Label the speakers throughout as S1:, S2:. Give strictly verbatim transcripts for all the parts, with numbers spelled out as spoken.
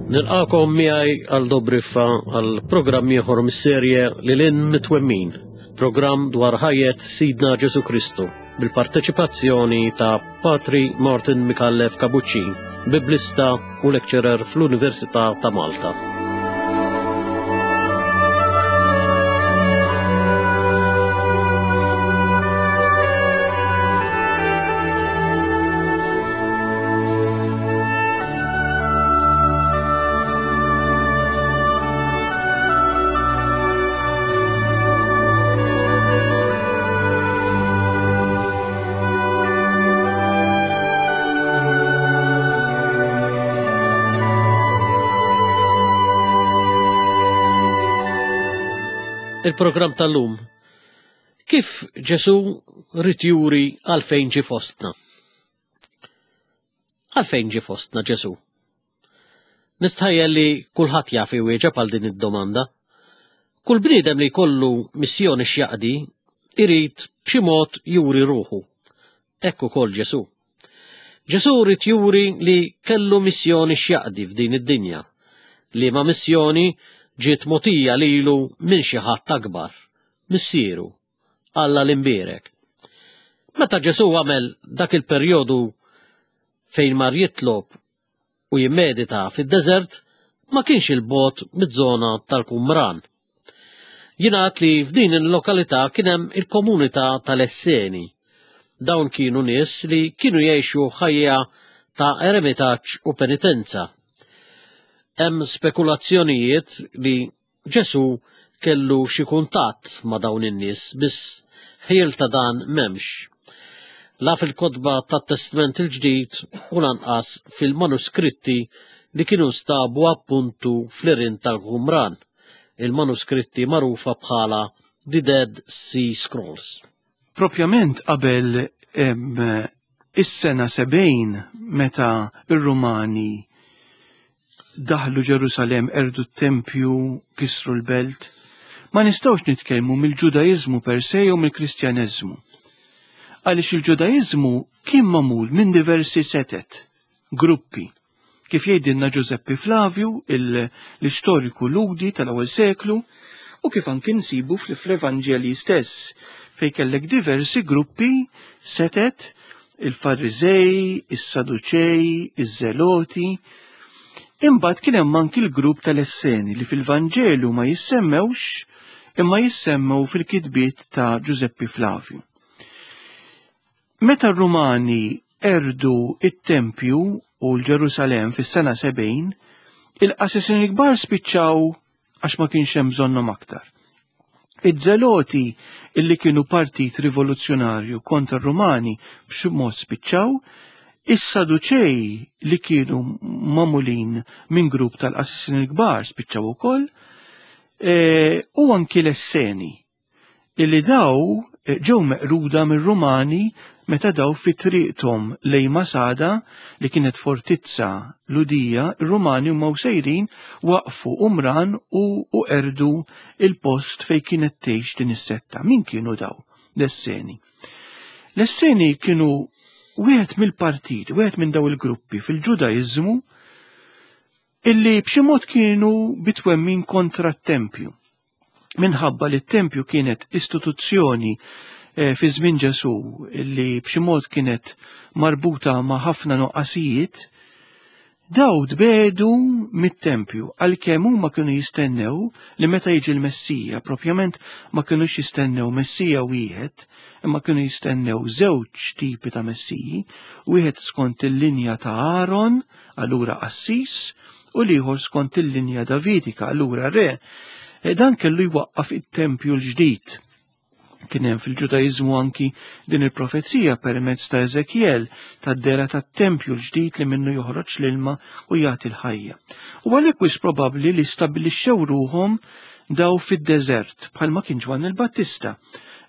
S1: Nilqakom miegħi għal Dobriffa għal programm ieħor mis-serje Lil Hinn Mit-Twemmin, programm dwar ħajjet Sidna Ġesu Kristu bil-parteċipazzjoni ta' Patri Martin Micallef Kabuċin, biblista u lecturer fl-Università ta' Malta. Il-programm tal-lum. Kif Ġesu ried juri għalfejn ġie fostna? Għalfejn ġie fostna Ġesu? Nistħajjel li kulħadd jaf iwieġeb għal din id-domanda. Kull bniedem li jkollu missjoni x'jaqdi irid b'xi mod juri ruħu. Hekk ukoll Ġesu. Ġesu ried juri li kellu missjoni x'jaqdi f'din id-dinja, li ma missjoni ġiet mogħtija lilu minn xi ħadd akbar, missieru, Alla l-imbierek. Meta Ġesu għamel dak il-perjodu fejn mar jitlob u jimmedita fid-deżert, ma kienx il-bogħod miż-żona tal-Qumran. Jingħad li f'din il-lokalità kien hemm il-komunità tal-Esseni. Dawn kienu nies li kienu jgħixu ħajja ta' eremitaġġ u penitenza. Hemm spekulazzjonijiet li Ġesu kellu xi kuntatt ma' dawn in-nies, biss ħiel ta' dan m'hemmx. La fil-kotba tat-Testment il-Ġdid u lanqas fil-manuskritti li kienu stabu appuntu fl-irin tal-Qumran, il-manuskritti magħrufa bħala The Dead Sea Scrolls.
S2: Propjament qabel is-sena sebgħin meta ir-Rumani daħlu Ġerusalem, erdu t-tempju, kisru l-belt, ma nistgħux nitkellmu mill-Ġudaiżmu per se jew mill-Kristjaneżmu. Għaliex il-Ġudaiżmu kien magħmul minn diversi setet, gruppi, kif jgħidilna Giuseppe Flavio, l-istoriku Ludi tal-ewwel seklu, u kif anki nsibu fl-Evanġelji stess, fejn kellek diversi gruppi, setet, il-Fariżej, is-Saduċej, iż-Zeloti. Imbagħad kien hemm anki l-grupp tal-Esseni li fil-Vanġelu ma jissemmewx imma jissemmew fil-kitbiet ta' Giuseppe Flavio. Meta r-Rumani erdu it-tempju u l-Ġerusalem fis-sena sebgħin, il-qassisin il-kbar spiċċaw għax ma kienx hemm bżonnhom aktar. Iż-Zeloti illi kienu partit rivoluzzjonarju kontra r-Rumani b'xi mod spiċċaw, is-Saduċej li kienu magħmulin minn grupp tal-qassisin il-kbar spiċċaw ukoll, e, u anki l-Esseni illi daw ġew meqruda mir-Rumani meta daw fi triqthom lejn Masada li kienet fortizza Ludija, ir-Rumani huma sejrin waqfu Umran u, u erdu il-post fejn kienet tgħix din is-setta. Min kienu daw l-Esseni? L-Esseni kienu wieħed mill-partit, wieħed minn daw il-gruppi fil-Ġudaiżmu illi b'xi mod kienu bitwemmin kontra t-tempju. Minħabba li t-tempju kienet istituzzjoni eh, fi żmien Ġesu illi b'xi mod kienet marbuta ma' ħafna noqqasijiet, daw tbedu mit-tempju għalkemm huma kienu jistennew li meta jiġi l-Messija, propjament ma kinux jistennew Messija wieħed, imma kienu jistennew żewġ tipi ta' Messiji, wieħed skont il-linja ta' Aaron, allura qassis, u l-ieħor skont il-linja Davidika, allura re. E dan kellu jwaqqaf it-tempju l-ġdid. Kien hemm fil-Ġudaiżmu anki din il-profezija permezz ta' Ezekiel tad-dera tat-tempju l-ġdid li minnu joħroġ l-ilma u jagħti l-ħajja. U għalhekk wis probabbli li stabbilixxew ruhom daw fid-deżert bħalma kien Ġwanni l-Battista,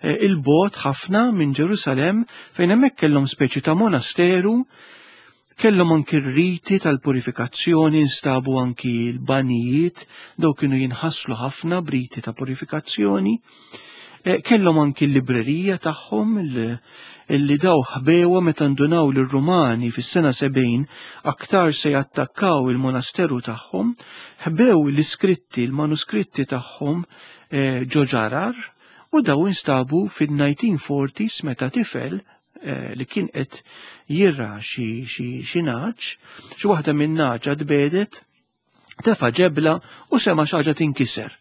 S2: il-bogħod ħafna minn Ġerusalem fejn hemmhekk kellhom speċi ta' monasteru, kellhom anki r-riti tal-purifikazzjoni, instabu anki l-banijiet, daw kienu jinħasslu ħafna b'riti ta' purifikazzjoni. Kellhom anki l-librerija tagħhom illi daw ħbewa meta ndunaw lir-Rumani fis-sena sebgħin aktar se jattakkaw il-monasteru tagħhom, ħbew l-iskritti, l-manuskritti tagħhom ġo ġarar, u daw instabu fil-nineteen forties meta tifel li kien qed jirra xi xi naġ, xi waħda minn naġa tbedet, tefa' ġebla u sema' xi ħaġa tinkiser.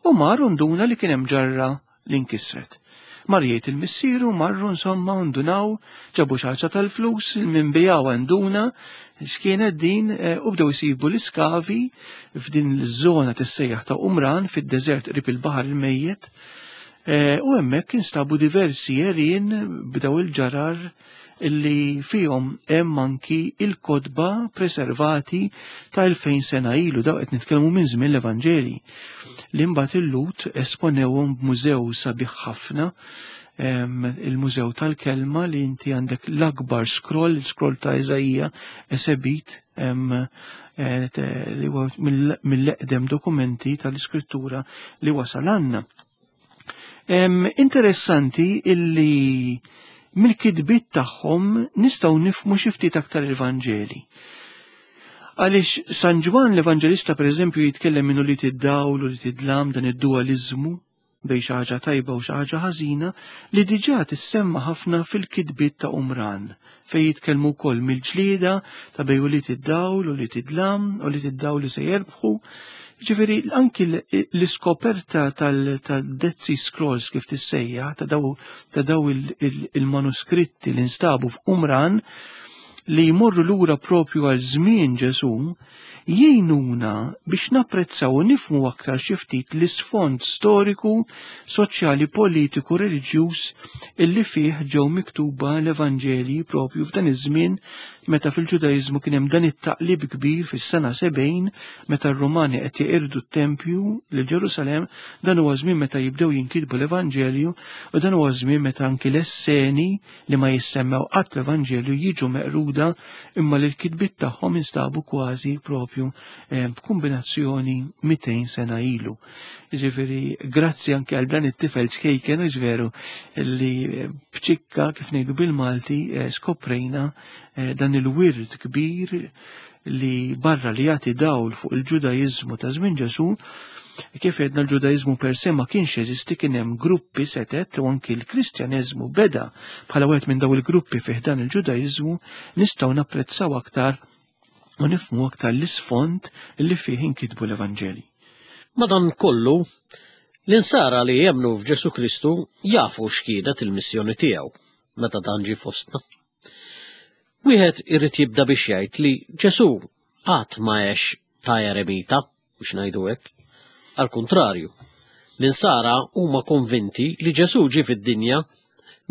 S2: U mar nduna li kien hemm ġarra li nkisret. Mar jgħid il-missieru, marru insomma ndunaw, ġabu xi ħaġa tal-flus, il-minbijaw nduna x'kienet din, u bdew isibu l-iskavi f'din iż-żona tissejjaħ ta' Umran fid-deżert qrib il-Baħar il-Mejjet, u hemmhekk instabu diversi għerien b'daw il-ġarar illi fihom hemm anki il-kotba preservati ta' elfejn sena ilu, daw qed nitkellmu minn żmien l-Evanġeli, li mbagħad il-Lhud esponewhom b'mużew sabiħ ħafna, il-Mużew tal-Kelma, li inti għandek l-akbar scroll, il-scroll ta' Iżaija esebit, li huwa mill-eqdem dokumenti tal-iskrittura li wasal għandna. Interessanti illi mill-kitbiet tagħhom nistgħu nifhmu xi ftit aktar il-Vanġeli. Għaliex San Ġwann l-Evanġelista pereżempju jitkellem minn ulied id-dawl u ulied id-dlam, dan id-dualiżmu bejn xi ħaġa tajba u xi ħaġa ħażina, li diġà tissemma ħafna fil-kitbiet ta' Umran, fejn jitkellmu wkoll mill-ġlieda ta' bejn ulied id-dawl u ulied id-dlam, ulied id-dawl li se jerbħu. Ġifieri anki l-iskoperta tal-Dead Sea Scrolls kif tissejjaħ, ta' daw, ta' daw il-manuskritti li nstabu f'Umran li jmorru lura propju għal żmien Ġesù, jgħinuna biex napprezzaw u nifhmu aktar xi ftit l-isfond storiku, soċjali, politiku, reliġjuż illi fih ġew miktuba l-Evanġelji propju f'dan iż-żmien meta fil-Ġudaiżmu kien hemm dan it-taqlib kbir fis-sena sebgħin meta r-Rumani qed jeqirdu t-tempju lil Ġerusalemm. Dan huwa żmien meta jibdew jinkitbu l-Evanġelju, u dan huwa żmien meta anki l-esseni li ma jissemmew qatt l-Evanġelju jiġu meqruda, imma li l-kitbiet tagħhom instabu kważi propju b'kombinazzjoni mitejn sena ilu. Ġifieri grazzi anke għal dan it-tifel ċkejken, hux veru, li b'ċikka kif ngħidu bil-Malti skoprejna dan il-wirt kbir li barra li jagħti dawl fuq il-Ġudaiżmu ta' żmien Ġesù. Kif għedna l-Ġudaiżmu per se ma kienx jeżisti, kien hemm gruppi setet, u anki l-Kristjaneżmu beda bħala wieħed minn daw il-gruppi fih dan il-Ġudaiżmu, nistgħu napprezzaw aktar u nifhmu aktar l-isfond li fih inkitbu l-Evanġeli.
S1: Madankollu, l-insara li jemmnu f'Ġesù Kristu jafu x'kienet il-missjoni tiegħu meta dan ġie fostna. Wieħed irid jibda biex jgħid li Ġesù qatt ma għex ta' eremita, biex ngħidu hekk. Al kuntrarju, l-insara huma konvinti li Ġesù ġie fid-dinja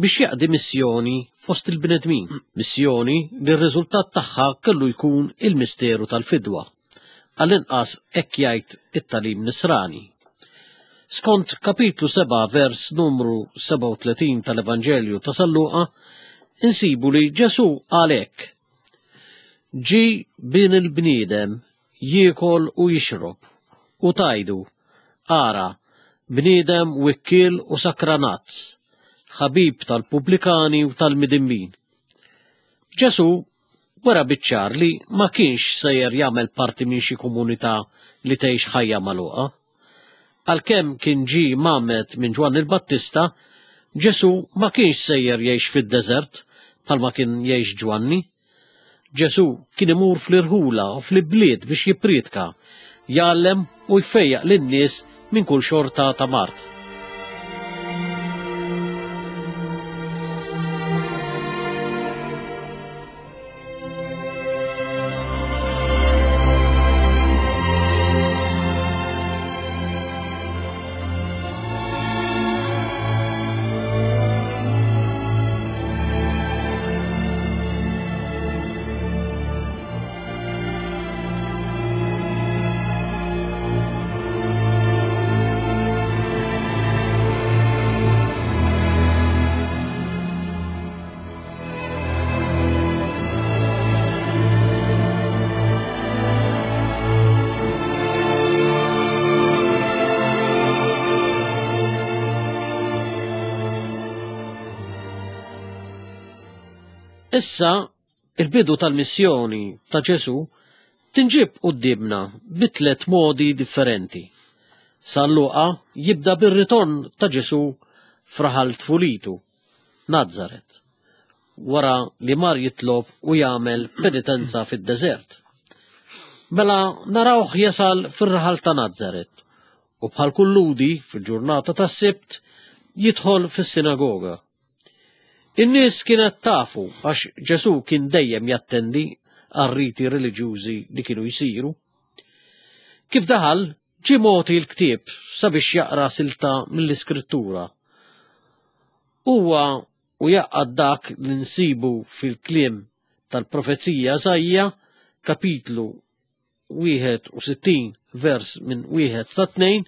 S1: biex jaqdi missjoni fost il-bnedmin, missjoni li r-riżultat tagħha kellu jkun il-misteru tal-fidwa. Għall-inqas hekk jgħid it-tagħlim nisrani. Skont kapitlu seba' vers numru sebgħa u tletin tal-Evanġelju ta' San Luqa, insibu li Ġesù qal hekk: Ġie bin il-bniedem jiekol u jixrob, u tajdu, ara, bniedem wikkiel u sakranazz, ħabib tal-pubblikani u tal-midinbin. Ġesù wera biċ-ċar li ma kienx sejjer jagħmel parti minn xi komunità li tgħix ħajja magħluqa. Għalkemm kien ġie mgħammed minn Ġwanni l-Battista, Ġesù ma kienx sejjer jgħix fid-deżert bħalma kien jgħix Ġwanni. Ġesù kien imur fl-irħula u fl-ibliet biex jippriedka, jgħallem u jfejjaq lin-nies minn kull xorta ta' mard. Issa, il-bidu tal-missjoni ta' Ġesù tinġib quddiemna bi tliet modi differenti. San Luqa jibda bir-ritorn ta' Ġesù f'raħal tfulitu, Nazaret, wara li mar jitlob u jagħmel penitenza fid-deżert. Mela narawh jasal fir-raħal ta' Nazaret u bħal kull Lhudi fil-ġurnata tas-Sibt jidħol fis-sinagoga. In-nies kienet tafu għax Ġesù kien dejjem jattendi għar-riti reliġjużi li kienu jsiru. Kif daħal, ġie mogħti l-ktieb sabiex jaqra silta mill-Iskrittura. Huwa u jaqgħad dak li nsibu fil-kliem tal-profezija Iżaija, kapitlu wieħed u sittin vers minn wieħed sa tnejn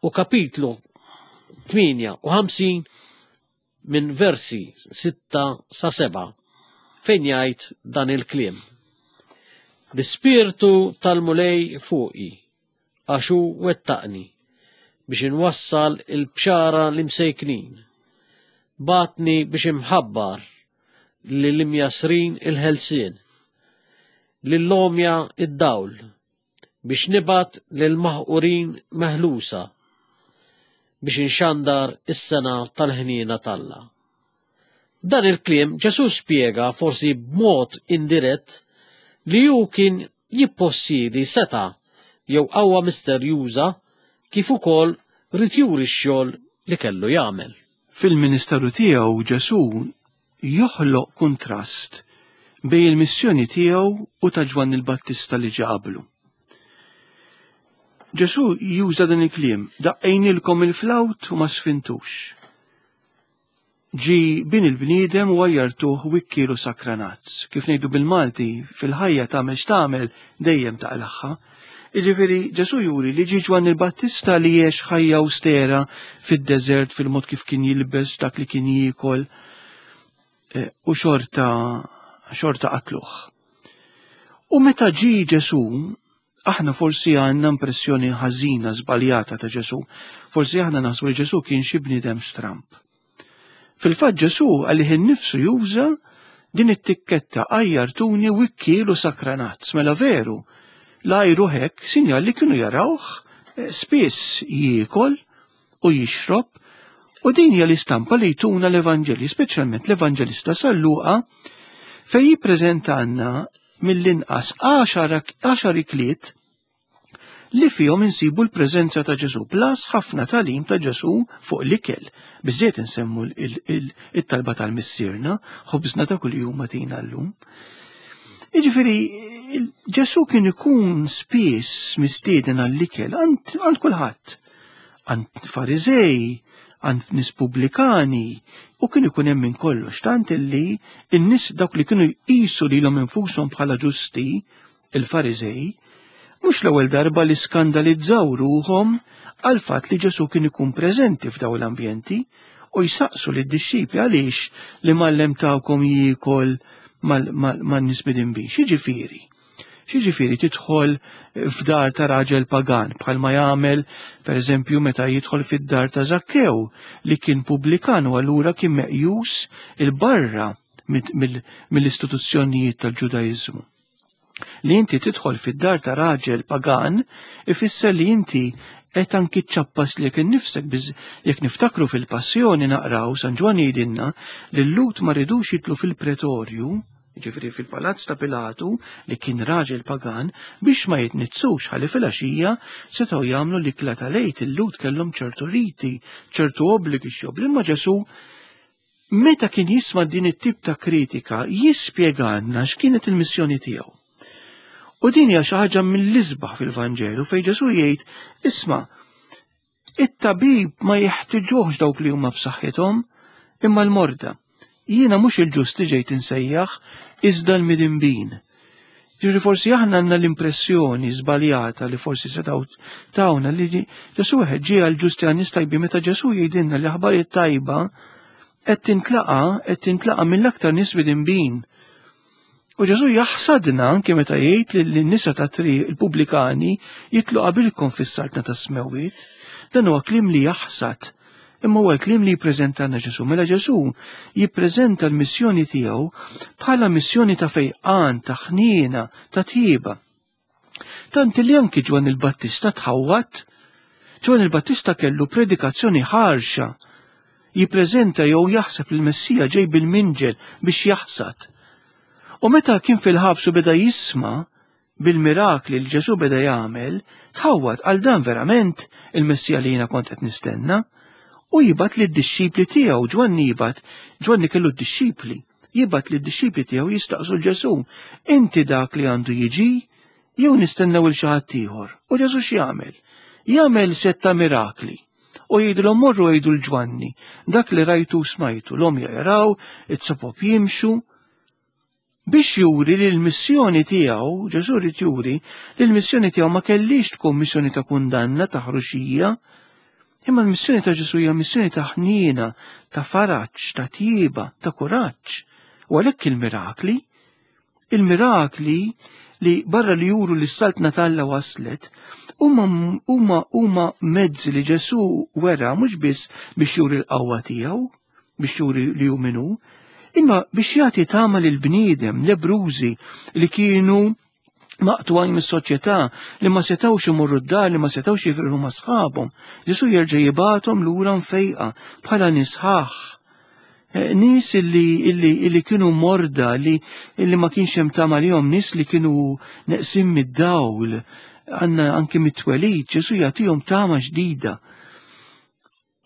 S1: u kapitlu tmienja u ħamsin minn versi sitta sa seba', fejn jgħid dan il-kliem. L-Ispirtu tal-Mulej fuqi, għax hu wettaqni, biex inwassal il-bxara l-imsejknin. Batni biex imħabbar lill-imjasrin il-ħelsien, lill-omja id-dawl, biex nibgħat lill-maħqurin meħlusa, biex inxandar is-sena tal-ħniena t'Alla. Dan il-kliem Ġesù spjega forsi b'mod indirett li hu kien jippossiedi seta' jew qawwa misterjuża kif ukoll ried juri x-xogħol li kellu jagħmel.
S2: Fil-ministeru tiegħu Ġesù joħloq kuntrast bejn il-missjoni tiegħu u ta' Ġwanni l-Battista li ġie qablu. Ġesù juża dan il-kliem, daqqejnilkom il-flawt u ma sfintux. Ġie bin il-bniedem u għajjartuh wikkielu sakranazz. Kif ngħidu bil-Malti, fil-ħajja tagħmel x'tagħmel dejjem taqlaħħa. Jiġifieri Ġesù juri li ġie Ġwanni l-Battista li għex ħajja austera fid-deżert, fil-mod kif kien jilbes, dak li kien jiekol, eh, u xorta, xorta qatluh. U meta ġie Ġesù, aħna forsi għandna impressjoni ħażina żbaljata ta' Ġesù. Forsi aħna naħsbu li Ġesù kien xi bniedem stramb. Fil-fatt Ġesù għalih innifsu juża din it-tikketta għajjartuni wikkielu sakranazz. Mela veru, l-ajru hekk sinjal li kienu jarawh, eh, spiss jiekol u jixrob, u din hija l-istampa li jtuna l-Evanġelji, speċjalment l-Evanġelista San Luqa, fejn jippreżentanna mill-inqas għaxar ikliet li fihom insibu l-preżenza ta' Ġesù, plus ħafna tagħlim ta' Ġesù fuq l-ikel. Biżżejjed insemmu l-, il-, it-talba tal-Missierna, ħobżna ta' kuljum agħtina llum. Jiġifieri, Ġesù kien ikun spiss mistieden għall-ikel għand, għand kulħadd, għand Fariżej, għand nies pubblikani, u kien ikun hemm minn kollox, tant illi n-nies dawk li kienu jqisu lilhom infushom bħala ġusti, il-Fariżej, mhux l-ewwel darba li skandalizzaw ruhom għal fatt li Ġesù kien ikun preżenti f'daw l-ambjenti u jsaqsu lid-dixxipli għaliex li mgħallem tagħkom jiekol man-nies midinbin. X'jiġifieri? X'jiġifieri tidħol f'dar ta' raġel pagan bħalma jagħmel pereżempju meta jidħol fid-dar ta' Zakkew li kien pubblikan u allura kien meqjus il-barra mill-istituzzjonijiet tal-Ġudaiżmu. Li inti tidħol fid-dar ta' raġel pagan ifisser li inti qed anki ċċappas lilek innifsek, biż jekk niftakru fil-Passjoni naqraw San Ġwann jgħidilna li l-Lhud ma ridux jitlu fil-pretorju, ġifieri fil-palazz ta' Pilatu li kien raġel pagan, biex ma jitnizzux ħalli fil-għaxija setgħu jagħmlu l-ikla tal-Għid. Il-Lhud kellhom ċertu riti, ċertu obbligi x'jobli, imma Ġesù meta kien jisma' din it-tip ta' kritika jispjegalna x'kienet il-missjoni tiegħu. U din hija xi ħaġa mill-isbaħ fil-Vanġelu fejn Ġesù jgħid, isma', it-tabib ma jeħtiġuhx dawk li huma b'saħħithom, imma l-morda. Jiena mhux il-ġusti ġejt insejjaħ, iżda l-midinbin. Ġifieri forsi aħna għandna l-impressjoni żbaljata li forsi setgħu tawna li Ġesù wieħed ġie għall-ġusti għan-nies tajbin, meta Ġesù jgħidilna li aħbarijiet tajba qed tintlaqa, qed tintlaqa mill-aktar nies midinbin. U Ġesù jaħsadna anke meta jgħid li n-nisa ta' triq il-pubblikani jitlu qabilkom fis-saltna tas-smewwiet. Dan huwa kliem li jaħsad Imma huwa l-kliem li jippreżentalna Ġesù. Mela Ġesù jippreżenta l-missjoni tiegħu bħala missjoni ta' fejqan, ta' ħniena, ta' tjieba. Tant li anki Ġwanni l-Battista tħawwad. Ġwanni l-Battista kellu predikazzjoni ħarxa. Jippreżenta jew jaħseb li l-Messija ġej bil-minġel biex jaħsad. U meta kien fil-ħabs u beda jisma' bil-mirakli li Ġesù beda jagħmel, tħawwad għal dan verament il-Messija li jiena kont qed nistenna. U jibgħat lid-dixxipli tiegħu, Ġwanni jibgħat, Ġwanni kellu d-dixxipli, jibgħat lid-dixxipli tiegħu jistaqsu l-Ġesù, inti dak li għandu jiġi jew nistennew il xi ħadd ieħor? U Ġesù x'jagħmel? Jagħmel setta mirakli. U jgħidilhom morru jgħidu l-Ġwanni, dak li rajtu smajtu, l-għomja jaraw, it-sopop jimxu, biex juri li l-missjoni tiegħu, Ġesù rid juri li l-missjoni tiegħu ma kellix tkun missjoni ta' kundanna, ta' ħruxija, imma l-missjoni ta' Ġesù hija missjoni ta' ħniena, ta' faraġ, ta' tjieba, ta' kuraġġ. U għalhekk il-mirakli, il-mirakli li barra li juru li s-saltna t'Alla waslet, huma huma huma mezzi li Ġesù wera mhux biss biex juri l-qawwa tiegħu, biex juri li hu min hu, imma biex jagħti tama lil bniedem, lebrużi li kienu maqtugħin mis-soċjetà, li ma setgħux imorru d-dar, li ma setgħux jifirħu ma' sħabhom. Ġesù jerġa' jibgħathom lura mfejqa bħala nisħaħ. Nies illi, illi, illi kienu morda, li, illi ma kienx hemm tama lihom, nies li kienu neqsin mid-dawl, għandna anke mit-twelid, Ġesù jagħtihom tama ġdida.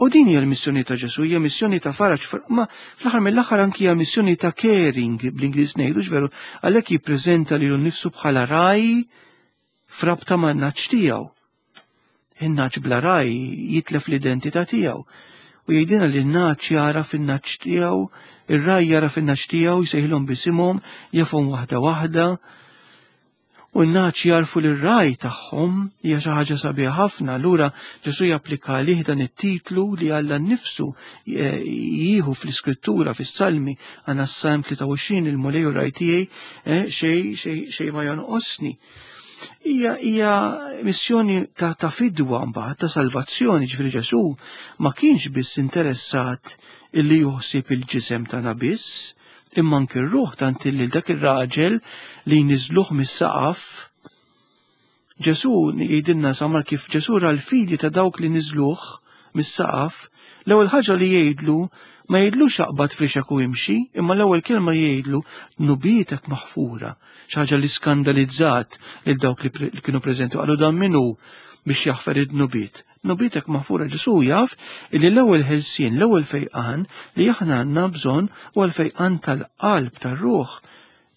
S2: U din hija l-missjoni ta' Ġesù, hija missjoni ta' faraġ, ma fl-aħħar mill-aħħar anki hija missjoni ta' caring, bl-Ingliż ngħidu, veru, għalhekk jippreżenta lilu nnifsu bħala raj frabta man-naċ tiegħu. In-naċ bla raj jitlef l-identità tiegħu. U jgħidilna li n-naċ jara fin-naċ tiegħu, ir-raj jara fin-naċ tiegħu, jsejħilhom bisimhom, jafhom waħda waħda. U n-naċ jarfu li r-raj tagħhom hija xi ħaġa sabiħa ħafna. Allura Ġesù japplika għalih dan it-titlu li Alla nnifsu jieħu fl-Iskrittura, fis-Salmi, għandna s-Salm tlieta u għoxrin, il-Mulej u r-raj tiegħi, eh, xej, xej, xej ma jonqosni. Hija, hija missjoni ta', ta' fidwa mbagħad, ta' salvazzjoni, ġifieri Ġesù ma kienx biss interessat illi juħsib il-ġisem tagħna biss, imma anke r-ruħ, tant illi dak ir-raġel li jniżluh mis-saqaf. Ġesù jgħidilna samar kif Ġesù ra l-fidi ta' dawk li niżluh mis-saqaf, l-ewwel ħaġa li jgħidlu ma jgħidlux aqbad frixek u imxi, imma l-ewwel kelma jgħidlu dnubietek maħfura, xi ħaġa li skandalizzat lil dawk li pre-, li kienu preżenti, qalu dan min hu biex jaħfer id-dnubiet. Dnubietek maħfura. Ġesù jaf illi l-ewwel ħelsien, l-ewwel fejqan li aħna għandna bżonn huwa l-fejqan tal-qalb, tar-ruħ,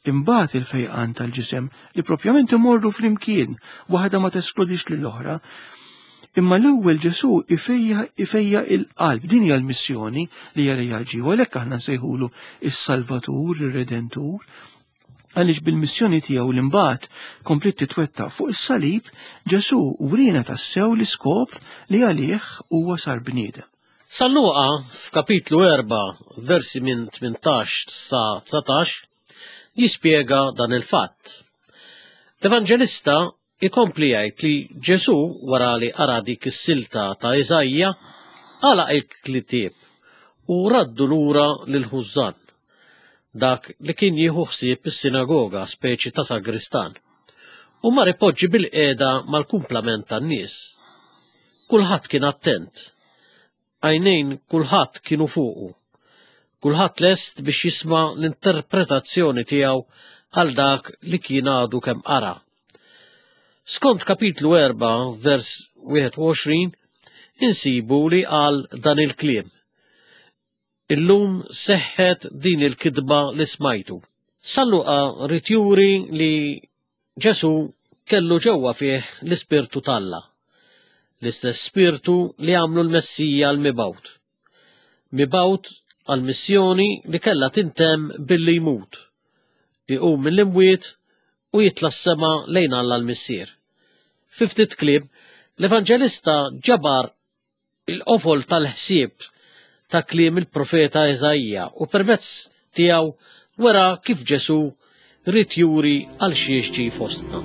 S2: imbagħad il-fejqan tal-ġisem li propjament imorru flimkien, waħda ma teskludix lill-oħra. Imma l-ewwel Ġesù ifejja, ifejja il-qalb. Din hija l-missjoni li hija li ġie, u għalhekk aħna nsejħulu is-Salvatur, ir-Redentur, għaliex bil-missjoni tiegħu li mbagħad komplet titwettaq fuq is-salib, Ġesù wriena tassew l-iskop li għalih huwa sar bniedem.
S1: San Luqa f'kapitlu erba' versi minn tmintax sa dsatax jispjega dan il-fatt. L-Evanġelista ikompli jgħid li Ġesù wara li qara dik is-silta ta' Iżajja għalaq il-ktieb u raddu lura lil Ħużżan, dak li kien jieħu ħsieb is-sinagoga, speċi ta' sagristan, u mar ipoġġi bil-qiegħda mal-kumplament tan-nies. Kulħadd kien attent, għajnejn kulħadd kienu fuqu, kulħadd lest biex jisma' l-interpretazzjoni tiegħu għal dak li kien għadu kemm qara. Skont kapitlu erba' vers wieħed u għoxrin, insibu li qal dan il-kliem: Illum seħħet din il-kidba li smajtu. San Luqa rid juri li Ġesù kellu ġewwa fih l-Ispirtu t'Alla, l-istess Spirtu li għamlu l-Messija l-mibgħut. Mibgħut għal-missjoni li kellha tintemm billi jmut, iqum mill-imwiet u jitla' s-sema lejn Alla l-Missier. Fi ftit kliem, l-Evanġelista ġabar il-qofol tal-ħsieb ta' kliem il-profeta Iżaija u permezz tiegħu wera kif Ġesù ried juri għal xiex ġie fostna.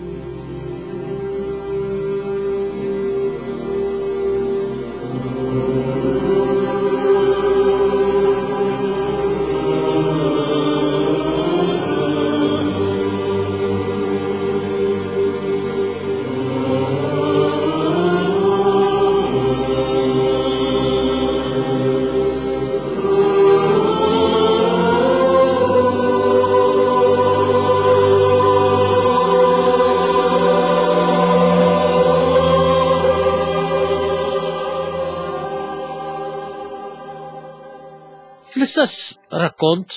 S1: Fl-istess rakkont,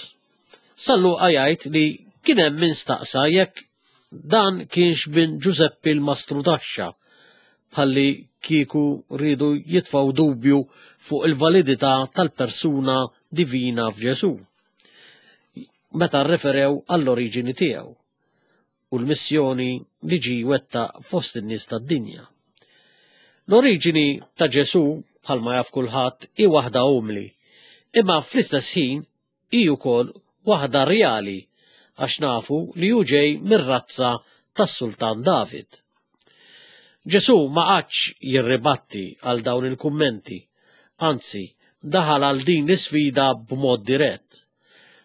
S1: San Luqa jgħid li kien hemm min staqsa jekk dan kienx bin Ġużeppi l-Mastrudaxxa, bħalli kieku rridu jitfgħu dubju fuq il-validità tal-persuna divina f'Ġesù, meta rreferew għall-oriġini tiegħu u l-missjoni li ġie jwettaq fost in-nies tad-dinja. L-oriġini ta' Ġesù, bħalma jaf kulħadd, hi waħda umli, imma fl-istess ħin hi wkoll waħda reali għax nafu li hu ġej mir-razza tas-Sultan David. Ġesù ma qagħadx jirribatti għal dawn il-kummenti, anzi daħal għal din l-isfida b'mod dirett.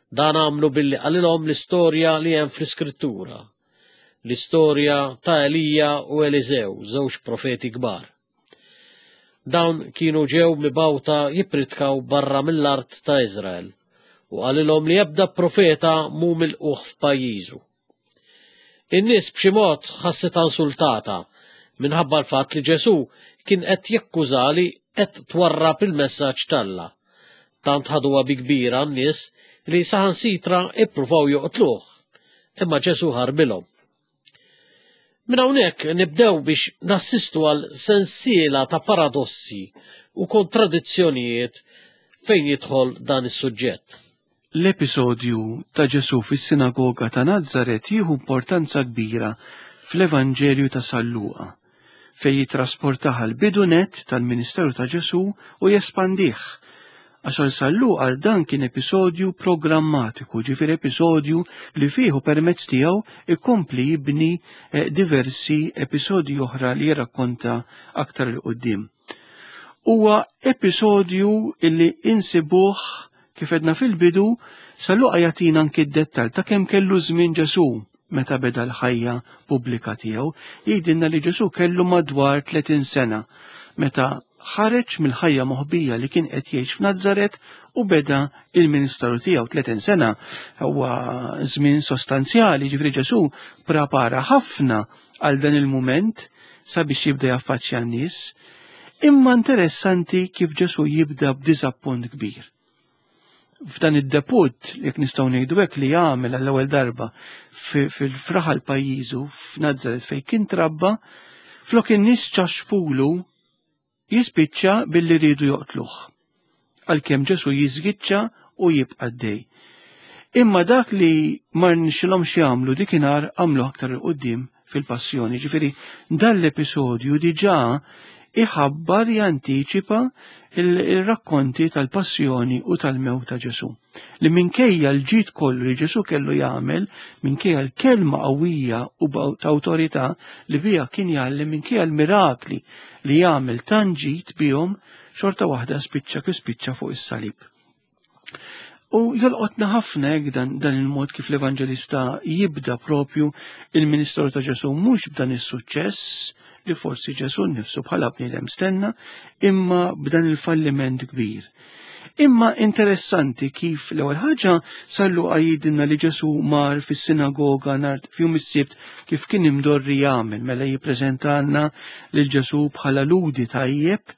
S1: Dan għamlu billi qalilhom l-istorja li hemm fl-Iskrittura, l-istorja ta' Elija u Eliżew, żewġ profeti kbar. Dawn kienu ġew mibgħuta jippritkaw barra mill-art ta' Iżrael u qalilhom li ebda profeta mhu milqugħ f'pajjiżu. In-nies b'xi mod ħasset insultata minħabba l-fatt li Ġesù kien qed jakkuża li qed twarrab il-messaġġ t'Alla. Tant ħaduha bi kbira n-nies li saħansitra ippruvaw joqtluh, imma Ġesù ħarbilhom. Minn hawnhekk nibdew biex nassistu għal sensiela ta' paradossi u kontradizzjonijiet fejn jidħol dan is-suġġett.
S2: L-episodju ta' Ġesù fis-sinagoga ta' Nazaret jieħu importanza kbira fl-Evanġelju ta' San Luqa, fejn jitrasportaha l-bidu net tal-Ministeru ta' Ġesù u jespandih. Għax għal San Luqa dan kien episodju programmatiku, ġifieri episodju li fih u permezz tiegħu ikompli jibni eh, diversi episodji oħra li jirrakkonta aktar 'il quddiem. Huwa episodju illi insibuh kif għedna fil-bidu, San Luqa jagħtina anki d-dettal ta' kemm kellu żmien Ġesù meta beda l-ħajja pubblika tiegħu. Jgħidilna li Ġesù kellu madwar tletin sena meta ħareġ mill-ħajja moħbija li kien qed jgħix f'Nazaret u beda il-ministeru tiegħu. Tletin sena huwa żmien sostanzjali, ġifieri Ġesù prepara ħafna għal dan il-mument sabiex jibda jaffaċċja n-nies. Imma interessanti kif Ġesù jibda b'diżappunt kbir. F'dan id-debut, jekk nistgħu ngħidu hekk, li jagħmel għall-ewwel darba fil-fraħal pajjiżu f'Nazaret fejn kien trabba, flok in-nies ċaxpulu jispiċċa billi riedu joqtluh. Għalkemm Ġesù jiżgiċċa u jibqa' għaddej. Imma dak li ma rnexxilhomx jagħmlu dikinhar għamlu aktar 'il quddiem fil-passjoni. Ġifieri dan l-episodju diġà iħabbar, jantiċipa il-rakkonti tal-passjoni u tal-mewt ta' Ġesù. Li minkejja l-ġid kollu li Ġesù kellu jagħmel, minkejja l-kelma qawwija u ta' awtorità li biha kien jgħallem, minkejja l-mirakli li jagħmel tant ġid bihom, xorta waħda spiċċa kif spiċċa fuq is-salib. U jolqotna ħafna hekk dan, dan il-mod kif l-Evanġelista jibda propju il-ministeru ta' Ġesù, mhux b'dan is-suċċess li forsi Ġesù nnifsu bħala bniedem stenna, imma b'dan il-falliment kbir. Imma interessanti kif l-ewwel ħaġa San Luqa jgħidilna li Ġesù mar fis-sinagoga nhar f'jum is-Sibt kif kien imdorri jagħmel, mela jippreżentalna lil Ġesù bħala ludi tajjeb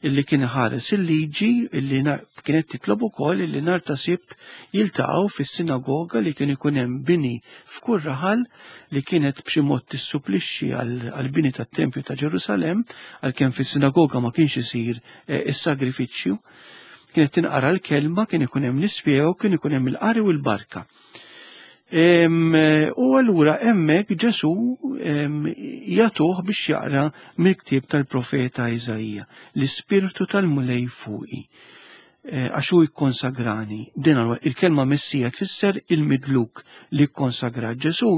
S2: illi kien ħares il-liġi illi kienet titlob ukoll illi nhar ta' Sibt jiltaqgħu fis-sinagoga li kien ikun hemm bini f'kull raħal li kienet b'xi mod tissupplixxi għall-bini tat-Tempju ta' Ġerusalemm, għalkemm fis-sinagoga ma kienx isir eh, is-sagrifiċċju. Kienet tinqara l-kelma, kien ikun hemm l-ispjegu, kien ikun hemm il-qari u l-barka. U allura hemmhekk Ġesù jagħtuh biex jaqra mill-ktieb tal-profeta Iżaija, l-Ispirtu tal-Mulej fuqi, għax hu jikkonsagrani. Din il-kelma Messija tfisser il-midluk li kkonsagra. Ġesù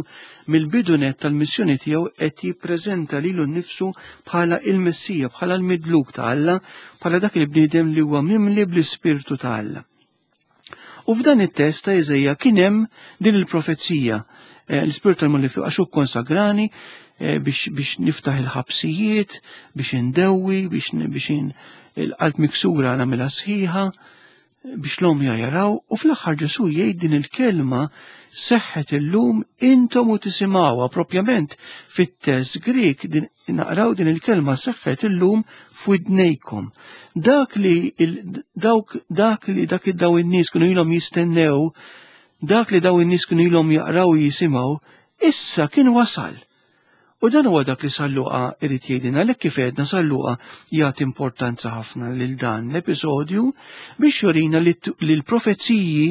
S2: mill-bidu net tal-missjoni tiegħu qed jippreżenta lilu nnifsu bħala il-Messija, bħala l-midluk ta' Alla, bħala dak il-bniedem li huwa mimli bl-Ispirtu ta' Alla. U f'dan it-test ta' Iżaija kien hemm din il-profezija, l-Ispirtu tal-Mulej fuqi għax hu kkonsagrani biex, biex niftaħ il-ħabsijiet, biex indewwi, biex, biex il-qalb miksura nagħmilha sħiħa, biex l-għomja jaraw, u fl-aħħar Ġesù jgħid din il-kelma seħħet illum intom u tisimgħuha. Propjament fit-test Grik din naqraw din il-kelma seħħet illum f'widnejkom. Dak li dawk dak li dak daw in-nies kienu ilhom jistennew, dak li daw in-nies kienu ilhom jaqraw u jisimgħu, issa kien wasal. U dan huwa dak li San Luqa irid jgħidilna, għalhekk kif għedna San Luqa jagħti importanza ħafna lil dan l-episodju biex jurina li l-profeziji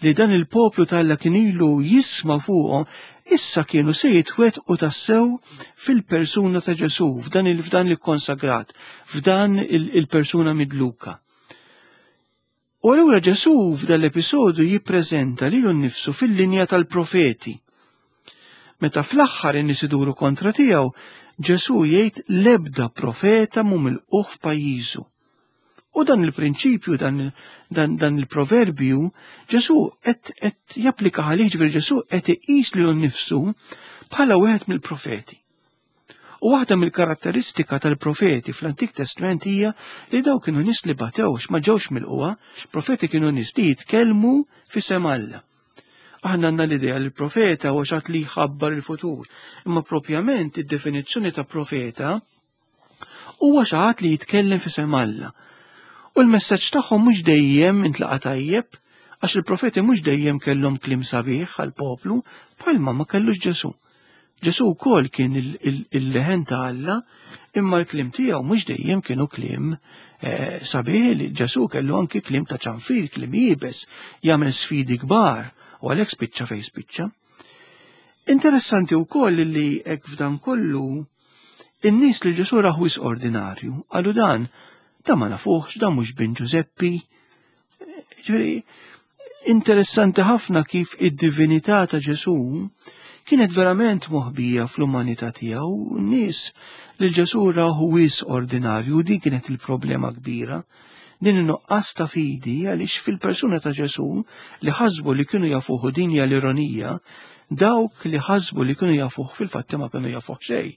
S2: li dan il-poplu t'Alla kien ilu jisma' fuqhom issa kienu se jitwettqu tassew fil-persuna ta' Ġesù, f'dan il-f'dan il-konsagrat, f'dan il-persuna midluka. U allura Ġesù f'dan l-episodju jippreżenta lilu nnifsu fil-linja tal-profeti. Meta fl-aħħar in-nies iduru kontra tiegħu, Ġesù jgħid l-ebda profeta mhu milqugħ f'pajjiżu. U dan il-prinċipju, dan, dan, dan il-proverbju, Ġesù qed qed japplika għalih, ġifieri Ġesù qed iqis lilu nnifsu bħala wieħed mill-profeti. U waħda mill-karatteristika tal-profeti fl-Antik Testament hija li daw kienu nies li batewx, ma ġewx milqugħa, profeti kienu nies li jitkellmu f'isem Alla. Aħna għandna l-idea li l-profeta huwa xi ħadd li jħabbar il-futur, imma propjament id-definizzjoni ta' profeta huwa xi ħadd li jitkellem f'isem Alla. U l-messaġġ tagħhom mhux dejjem intlaqa' tajjeb, għax il-profeti mhux dejjem kellhom kliem sabiħ għall-poplu bħalma ma kellux Ġesù. Ġesù wkoll kien il-leħen ta' Alla, imma l-kliem tiegħu mhux dejjem kienu kliem sabiħ. Li Ġesù kellu anki kliem ta' ċanfir, kliem iebes, jagħmel sfidi kbar, u għalhekk spiċċa fejn spiċċa. Interessanti wkoll li hekk f'dan kollu in-nies li Ġesù raħu wisq ordinarju, qalu dan, dan ma nafuhx, dan mhux bin Ġużeppi. Ġifieri, interessanti ħafna kif id-divinità ta' Ġesù kienet verament moħbija fl-umanità tiegħu. N-nies li Ġesù raħu wisq ordinarju, din kienet il-problema kbira. Din in-nuqqas ta' fidi, għaliex fil-persuna ta' Ġesù li ħasbu li kienu jafuh, din hija l-ironija, dawk li ħasbu li kienu jafuh fil-fatt ma kienu jafuh xejn.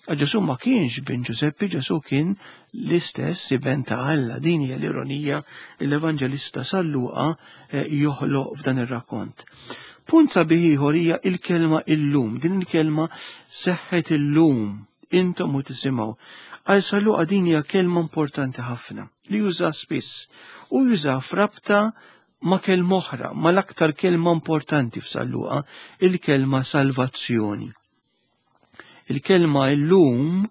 S2: Ġesù ma kienx bin Ġużeppi, Ġesù kien l-istess iben ta' Alla. Din hija l-ironija li l-Evanġelista San Luqa joħloq f'dan ir-rakkont. Punt sabiħ ieħor hija il-kelma illum. Din il-kelma seħħet illum, intom u tisimgħu. Għal San Luqa din hija kelma importanti ħafna li juża spiss u juża f'rabta ma' kelma oħra, ma' l-aktar kelma importanti f'San Luqa, il-kelma salvazzjoni. Il-kelma illum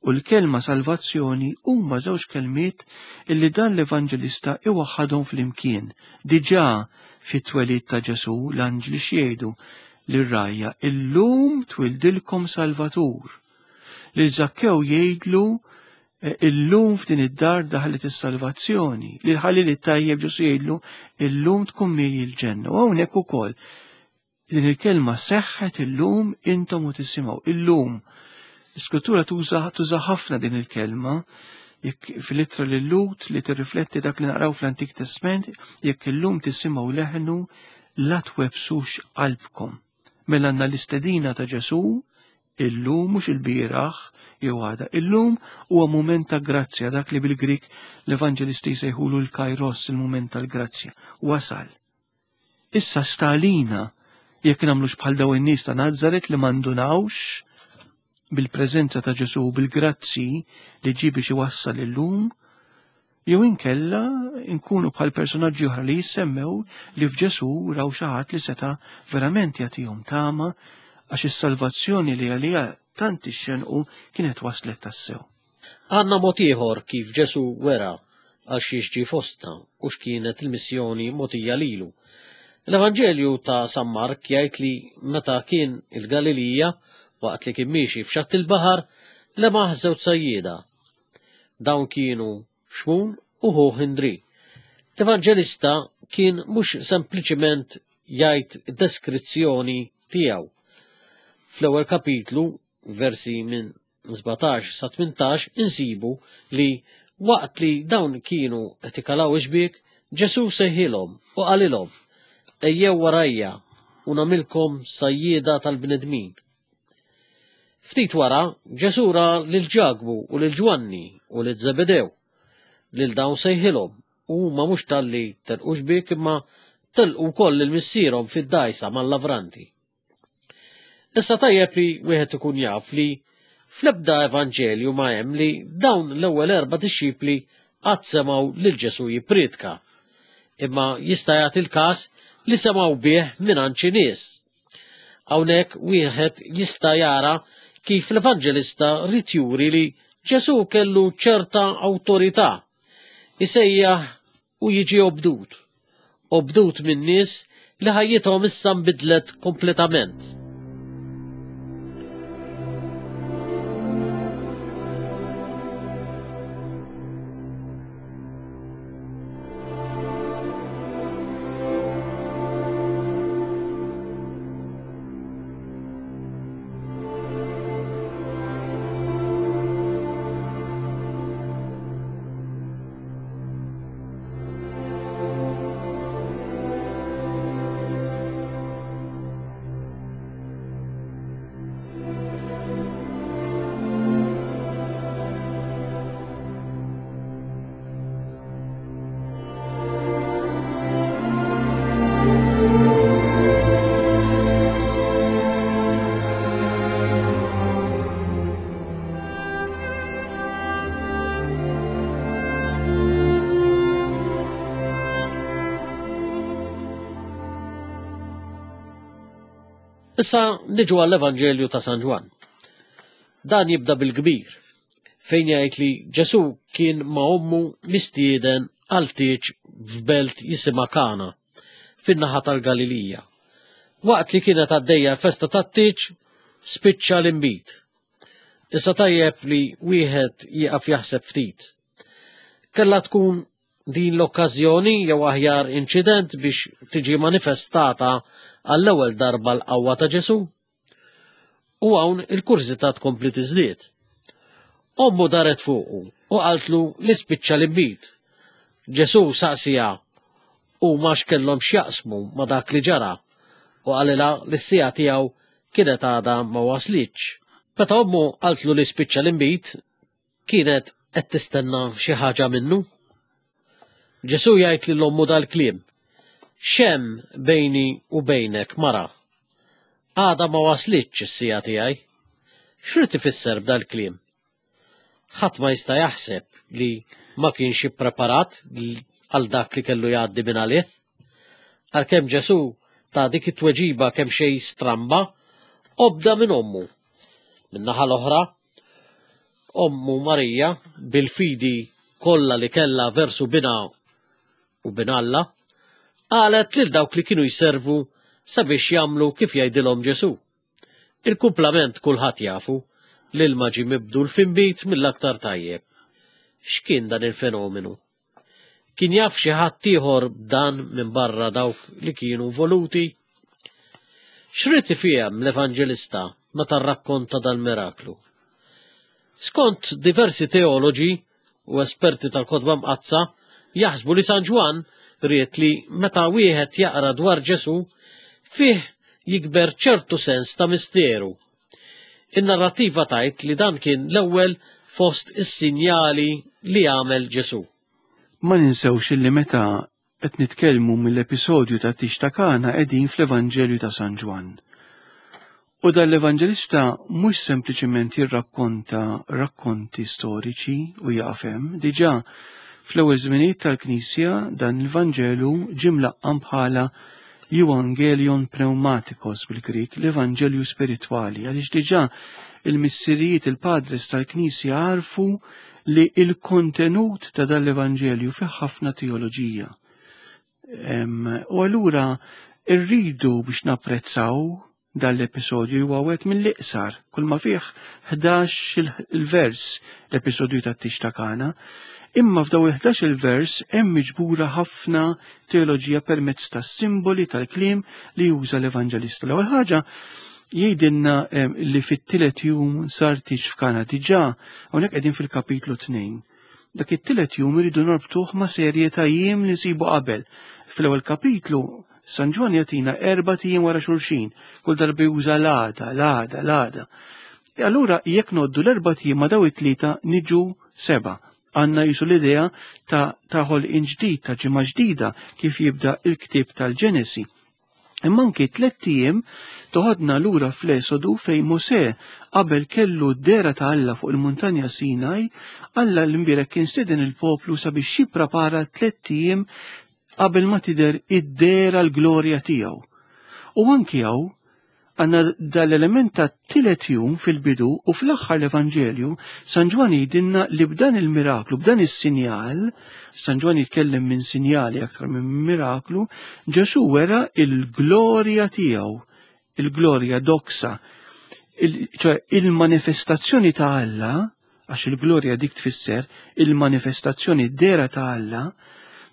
S2: u l-kelma salvazzjoni huma żewġ kelmiet illi dan l-Evanġelista iwaħħadhom flimkien. Diġà fit-twelid ta' Ġesù l-anġli x'jgħidu lir-rgħajja, illum twildilkom Salvatur. Lil Żakkew jgħidlu illum f'din id-dar daħlet is-salvazzjoni. Lil ħalliel it-tajjeb Ġesù jgħidlu illum tkun miegħi l-ġenna. U hawnhekk ukoll din il-kelma seħħet illum intom u tisimgħu. Illum. L-Iskrittura tuża tuża ħafna din il-kelma, jekk fil-ittra lil Lut li tirrifletti dak li naqraw fl-Antik Testament, jekk illum tisimgħu leħnu la twebsux qalbkom. Mela għandna l-istedina ta' Ġesù illum, mhux il-bieraħ jew għada. Illum huwa mument ta' grazzja, dak li bil-Grik l-Evanġelisti jsejħulu l-kairos, il-mument tal-grazzja. Wasal. Issa stalina jekk nagħmlux bħal daw in-nies ta' Nazaret li m'għandunawx bil-preżenza ta' Ġesù, bil-grazzi li ġie biex iwassal illum, jew inkella nkunu bħal personaġġi oħra li jissemmew li f'Ġesù raw xi ħadd li seta' verament jagħtihom tama, għax is-salvazzjoni li għaliha tant ixxenqu kienet waslet tassew.
S1: Għandna mod ieħor kif Ġesù wera għal xiex ġie fostna u x'kienet il-missjoni mogħtija lilu. L-Evanġelju ta' San Mark jgħid li meta kien il-Galilija, waqt li kien miexi f'xatt il-baħar, lemaħ żewġ sajjieda. Dawn kienu Xmun u ħuh Indri. L-Evanġelista kien mhux sempliċiment jgħid deskrizzjoni tiegħu. Fl-ewwel kapitlu, versi minn sbatax sa tmintax, insibu li waqt li dawn kienu qed ikalaw ix-xbiek, Ġesù sejħilhom u qalilhom, ejjew warajja u nagħmilkom sajjieda tal-bnedmin. Ftit wara, Ġesù ra lil Ġakbu u lil Ġwanni u lil Żebedew, lil dawn sejħilhom U huma mhux talli telqu xbiek imma telqu wkoll lil missierhom fid-dgħajsa mal-lavranti. Issa tajjeb li wieħed ikun jaf li fl-ebda evanġelju ma hemm li dawn l-ewwel erba' dixxipli qatt semgħu lil Ġesù jippriedka, imma jista' jagħti l-każ li semgħu bih mingħand xi nies. Hawnhekk wieħed jista' jara kif l-evanġelista ried juri li Ġesù kellu ċerta awtorità, isejjaħ u jiġi obdut, obdut minn nies li ħajjithom issa nbidlet kompletament. Issa niġu għall-Evanġelju ta' San Ġwann. Dan jibda bil-kbir, fejn jgħid li Ġesù kien ma' ommu mistieden għal tieġ f'belt jisimha Kana, fin-naħa tal-Galilija. Waqt li kienet għaddejja l-festa tat-tieġ, spiċċa l-inbid. Issa tajjeb li wieħed jieqaf jaħseb ftit. Kellha tkun din l-okkażjoni jew aħjar inċident biex tiġi manifestata għall-ewwel darba l-qawwa ta' Ġesù? U hawn il-kurżità tkompli tiżdied. Ommu daret fuqu u qaltlu li spiċċa l-inbid. Ġesù saqsija u ma x'kellhom x'jaqsmu ma' dak li ġara u qalilha li s-siegħa tiegħu kienet għadha ma waslitx. Meta ommu qaltlu li spiċċa l-inbid, kienet qed tistenna xi ħaġa minnu. Ġesù jgħid lil ommu dal-kliem: X'hemm bejni u bejnek, mara? Għada ma waslitx is-siegħa tiegħi. X'rid ifisser b'dal-kliem? Ħadd ma jista' jaħseb li ma kienx ippreparat għal dak li kellu jgħaddi minn għalih. Għalkemm Ġesù ta' dik it-tweġiba kemm xejn stramba, obda minn ommu. Min-naħa l-oħra, ommu Marija, bil-fidi kollha li kellha versu binha u bin Alla, qalet lil dawk li kienu jservu sabiex jagħmlu kif jgħidilhom Ġesù. Il-kumplament kulħadd jafu li l-ilma ġie mibdul f'inbid mill-aktar tajjeb. X'kien dan il-fenomenu? Kien jaf xi ħadd ieħor b'dan minn barra dawk li kienu voluti? X'rid ifhem l-Evanġelista meta rrakkonta dal-miraklu? Skont diversi teoloġi u esperti tal-Kotba Mqaddsa jaħsbu li San Ġwann ried li meta wieħed jaqra dwar Ġesù fih jikber ċertu sens ta' misteru. In-narrattiva tajt li dan kien l-ewwel fost is-sinjali li għamel Ġesù.
S2: Ma ninsewx li meta qed nitkellmu mill-episodju ta' Tieġ ta' Kana qegħdin fl-Evanġelju ta' San Ġwann. U dan l-Evanġelista mhux sempliċement jirrakkonta rakkonti storiċi u jaqaf hemm, diġà fl-ewwel żminijiet tal-Knisja dan il-Vanġelu ġie mlaqqam bħala Evangelion Pneumatikos bil-Grik, l-Evanġelju Spiritwali, għaliex diġà il-missirijiet, il-padres tal-Knisja għarfu li il-kontenut ta' dan l-Evanġelju fih ħafna teoloġija. U allura rridu biex napprezzaw dan l-episodju huwa wieħed mill-iqsar, kull ma fih ħdax il-vers l-episodju tat-Tieġ ta' Kana, imma f'daw il-ħdax il-vers hemm miġbura ħafna teoloġija permezz tas-simboli tal-kliem li juża l-Evanġelista. L-ewwel ħaġa jgħidilna li fit-tielet jum sar tieġ f'Kana, diġà hawnhekk qegħdin fil-kapitlu tnejn. Dak it-tielet jum iridu norbtuh ma' serje ta' jiem li nsibu qabel. Fl-ewwel kapitlu San Ġwann jagħtina erba' tijiem wara xulxin, kull darba juża l-għada, l-għada, l-għada. E allura jekk noddu l-erba' tijiem ma' daw it-tlieta niġu seba'. Għandna jisu l-idea ta' ta' ħolqien ġdid, ta' ġimgħa ġdida kif jibda il-ktieb tal-Ġenesi. Imma anki tlett ijiem toħodna lura fl-Esodu fejn Mosè qabel kellu d-dehra ta' Alla fuq il-muntanja Sinaj, Alla l-imbierek kien stieden il-poplu sabiex jipprepara tlett ijiem qabel ma tidher id-dehra l-glorja tiegħu. U anki hawn għandna dal-element ta' tielet jum fil-bidu u fl-aħħar l-Evanġelju San Ġwann jgħidilna li b'dan il-miraklu, b'dan is-sinjal, San Ġwann jitkellem minn sinjali aktar minn miraklu, Ġesù wera il-glorja tiegħu, il-glorja doxa, ċoè il-manifestazzjoni ta' Alla, għax il-glorja dik tfisser il-manifestazzjoni dehra ta' Alla,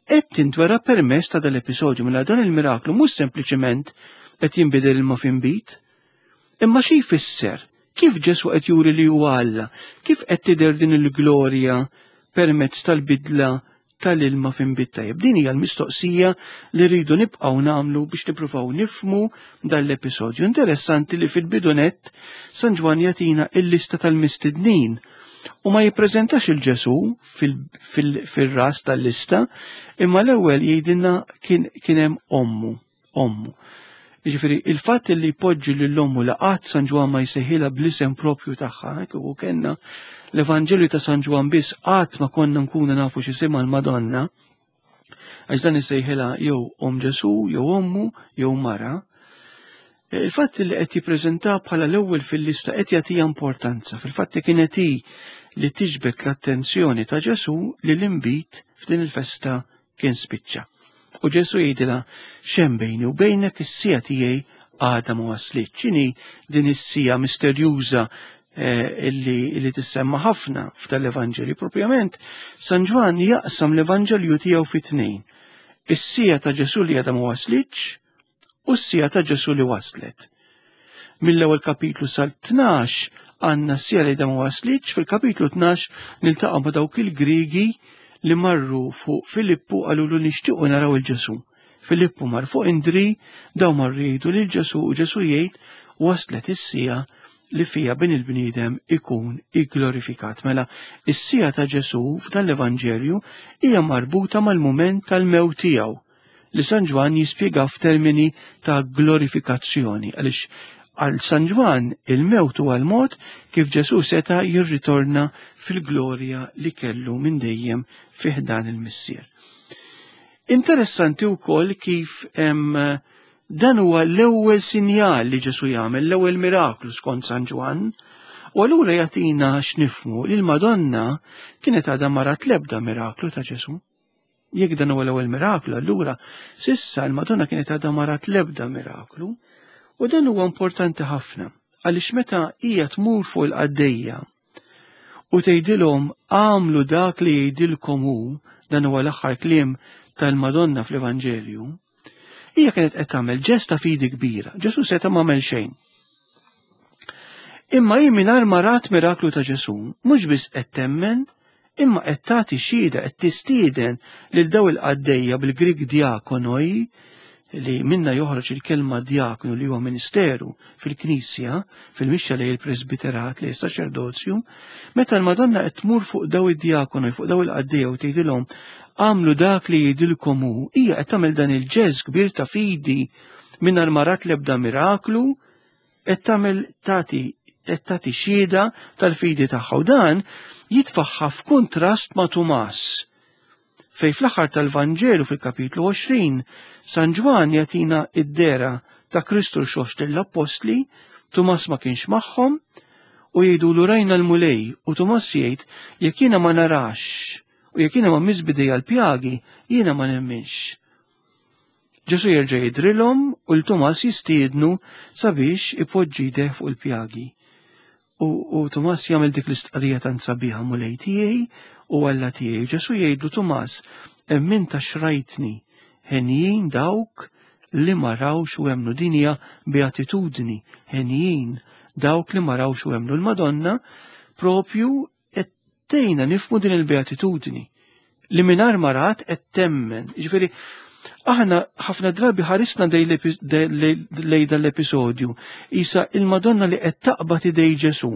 S2: qed tintwera permezz ta' dal-episodju. Mela dan il-miraklu mhux sempliċement qed jinbidel ilma f'inbid, imma xi jfisser? Kif Ġesù qed juri li huwa Alla? Kif qed tidher din il-glorja permezz tal-bidla tal-ilma f'inbid tajjeb? Din hija l-mistoqsija li rridu nibqgħu nagħmlu biex nippruvaw nifhmu dan l-episodju. Interessanti li fil-bidu nett San Ġwann jagħtina il-lista tal-mistednin u ma jippreżentax il-Ġesù fil-ras tal-lista, imma l-ewwel jgħidilna kien hemm ommu, ommu. Jiġifieri il-fatt li jpoġġi lil ommu la qatt San Ġwann ma jsejħilha bl-isem propju tagħha, kieku kellna l-Evanġelju ta' San Ġwann biss qatt ma konna nkunu nafu x'isimha l-Madonna, għax dan isejħilha jew om Ġesù, jew ommu, jew mara. Il-fatt li qed jippreżenta bħala l-ewwel fil-lista qed jagħtiha importanza. Fil-fatt kienet hi li tiġbed l-attenzjoni ta' Ġesù li l-inbid f'din il-festa kien spiċċa. U Ġesù jgħidilha x'hemm bejni u bejnek, is-siegħa tiegħi għadha ma waslitx. X'inhi din is-siegħa misterjuża illi, illi tissemma ħafna f'dal-Evanġelju? Propjament San Ġwann jaqsam l-Evanġelju tiegħu fi tnejn. Is-siegħa ta' Ġesù li għadha ma waslitx u s-siegħa ta' Ġesù li waslet. Mill-ewwel kapitlu sal-tnax għandna s-siegħa li għadha ma waslitx, fil-kapitlu tnax niltaqgħu ma' dawk il-Grigi li marru fuq Filippu qalulu nixtiequ naraw il-Ġesù. Filippu mar fuq Indri, daw marru jgħidu lil Ġesù u Ġesù jgħid waslet is-siegħa li fija bin il-bniedem ikun igglorifikat. Mela, is-siegħa ta' Ġesù f'dan l-Evanġelju hija marbuta mal-mument tal-mewt tiegħu li San Ġwann jispjega f'termini ta' glorifikazzjoni, għaliex għal San Ġwann il-mewt huwa l-mod kif Ġesù seta' jirritorna fil-glorja li kellu minn dejjem fi ħdan il-Missier. Interessanti wkoll kif hemm dan huwa l-ewwel sinjal li Ġesù jagħmel, l-ewwel miraklu skont San Ġwann, u allura jagħtina x'nifhmu li l-Madonna kienet għadha ma rat l-ebda miraklu ta' Ġesù. Jekk dan huwa l-ewwel miraklu, allura sissa l-Madonna kienet għadha ma rat l-ebda miraklu, u dan huwa importanti ħafna għaliex meta hija tmur fuq il-qaddejja u tgħidilhom għamlu dak li jgħidilkom hu, dan huwa l-aħħar kliem tal-Madonna fl-Evanġelju, hija kienet qed tagħmel ġest ta' fidi kbira. Ġesù seta' m'għamel xejn. Imma hi mingħajr ma rat miraklu ta' Ġesù, mhux biss qed temmen, imma qed tagħti xhieda, qed tistieden lil daw il-qaddejja bil-Grik diakonoi, li minna joħroġ il-kelma diakonu li huwa ministeru fil-Knisja, fil-mixja lejn il-presbiterat, lejn is-saċerdozju, meta l-Madonna qed tmur fuq daw id-diakonoi, fuq daw il-qaddejja u tgħidilhom għamlu dak li jgħidilkom hu, hija qed tagħmel dan il-ġest kbir ta' fidi mingħajr ma rat l-ebda miraklu, qed tagħmel tagħti qed tagħti xhieda tal-fidi tagħha, u dan jitfaħħa f'kuntrast ma' Tumas. Fej fl-aħħar tal-Vanġelu fil-kapitlu għoxrin, San Ġwann jagħtina id-dehra ta' Kristu rxoxt lill-Appostli, Tumas ma kienx magħhom, u jgħidulu rajna l-Mulej, u Tumas jgħid jekk jiena ma narax u jekk jiena ma mmiss b'idejja l-pjagi, jiena ma nemminx. Ġesu jerġa' jidrilhom u l-Tumas jistiednu sabiex ipoġġi jdejh fuq il-pjagi. U, u Tumas jagħmel dik l-istqarrija tant sabiħa, Mulej tiegħi u Alla tiegħi. Ġesu jgħidlu Tumas, emmint għax rajtni, henjin dawk li ma rawx u emmnu. Din hija beatitudni, henjin dawk li ma rawx u emmnu. L-Madonna propju qed tgħinna nifhmu din il-beatitudni li mingħajr ma rat qed temmen. Jiġifieri aħna ħafna drabi ħarisna lejn dan l-episodju, isa il-Madonna li qed taqbad idej Ġesu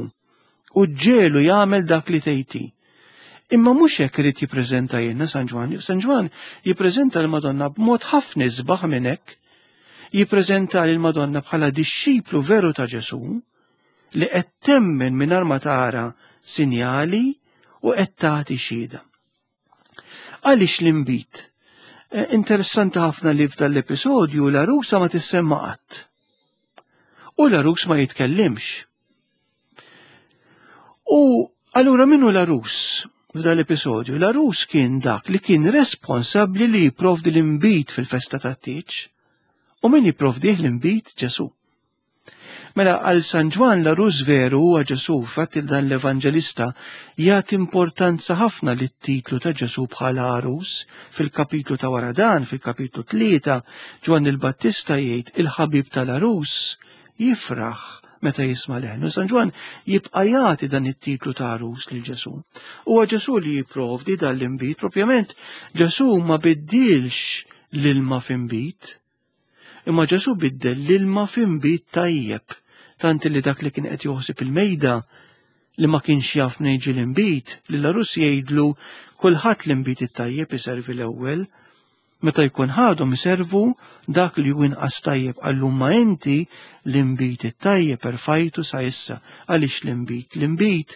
S2: u ġelu jagħmel dak li tgħid. Imma mhux hekk irid jippreżenta jiena San Ġwann. San Ġwann jippreżenta l-Madonna b'mod ħafna isbaħ minn hekk. Jippreżenta lill-Madonna bħala dixxiplu veru ta' Ġesù li qed temmen mingħajr ma tara sinjali u qed tagħti xhieda. Għaliex l-inbid? Interessanti ħafna li f'dan l-episodju l-għarusa ma tissemma qatt. U l-għarus ma jitkellimx. U allura min hu l-għarus f'dan l-episodju? L-għarus kien dak li kien responsabbli li jipprovdi l-inbid fil-festa tat-tieġ. U min jipprovdih l-inbid? Ġesù. Mela għal San Ġwann l-għarus veru huwa Ġesù, fatt dan l-Evanġelista jagħti importanza ħafna lit-titlu ta' Ġesù bħala għarus. Fil-kapitlu ta' wara dan, fil-kapitlu tlieta, Ġwann il-Battista jgħid il-ħabib tal-għarus jifraħ meta jisma' leħnu. San Ġwann jibqa' jagħti dan it-titlu ta' għarus lil Ġesù. Huwa Ġesù li jipprovdi dan l-inbid, propjament Ġesù ma biddilx l-ilma f'inbid, imma Ġesù biddel l-ilma f'inbid tajjeb, tant li dak li kien qed joħsib il-mejda li ma kienx jaf minn jiġi l-inbid, li l-għarus jgħidlu kulħadd l-inbid it-tajjeb iservi l-ewwel, meta jkun ħadhom iservu dak li hu inqas tajjeb, qallu ma inti l-inbid it-tajjeb erfajtu sa issa. Għaliex l-inbid? L-inbid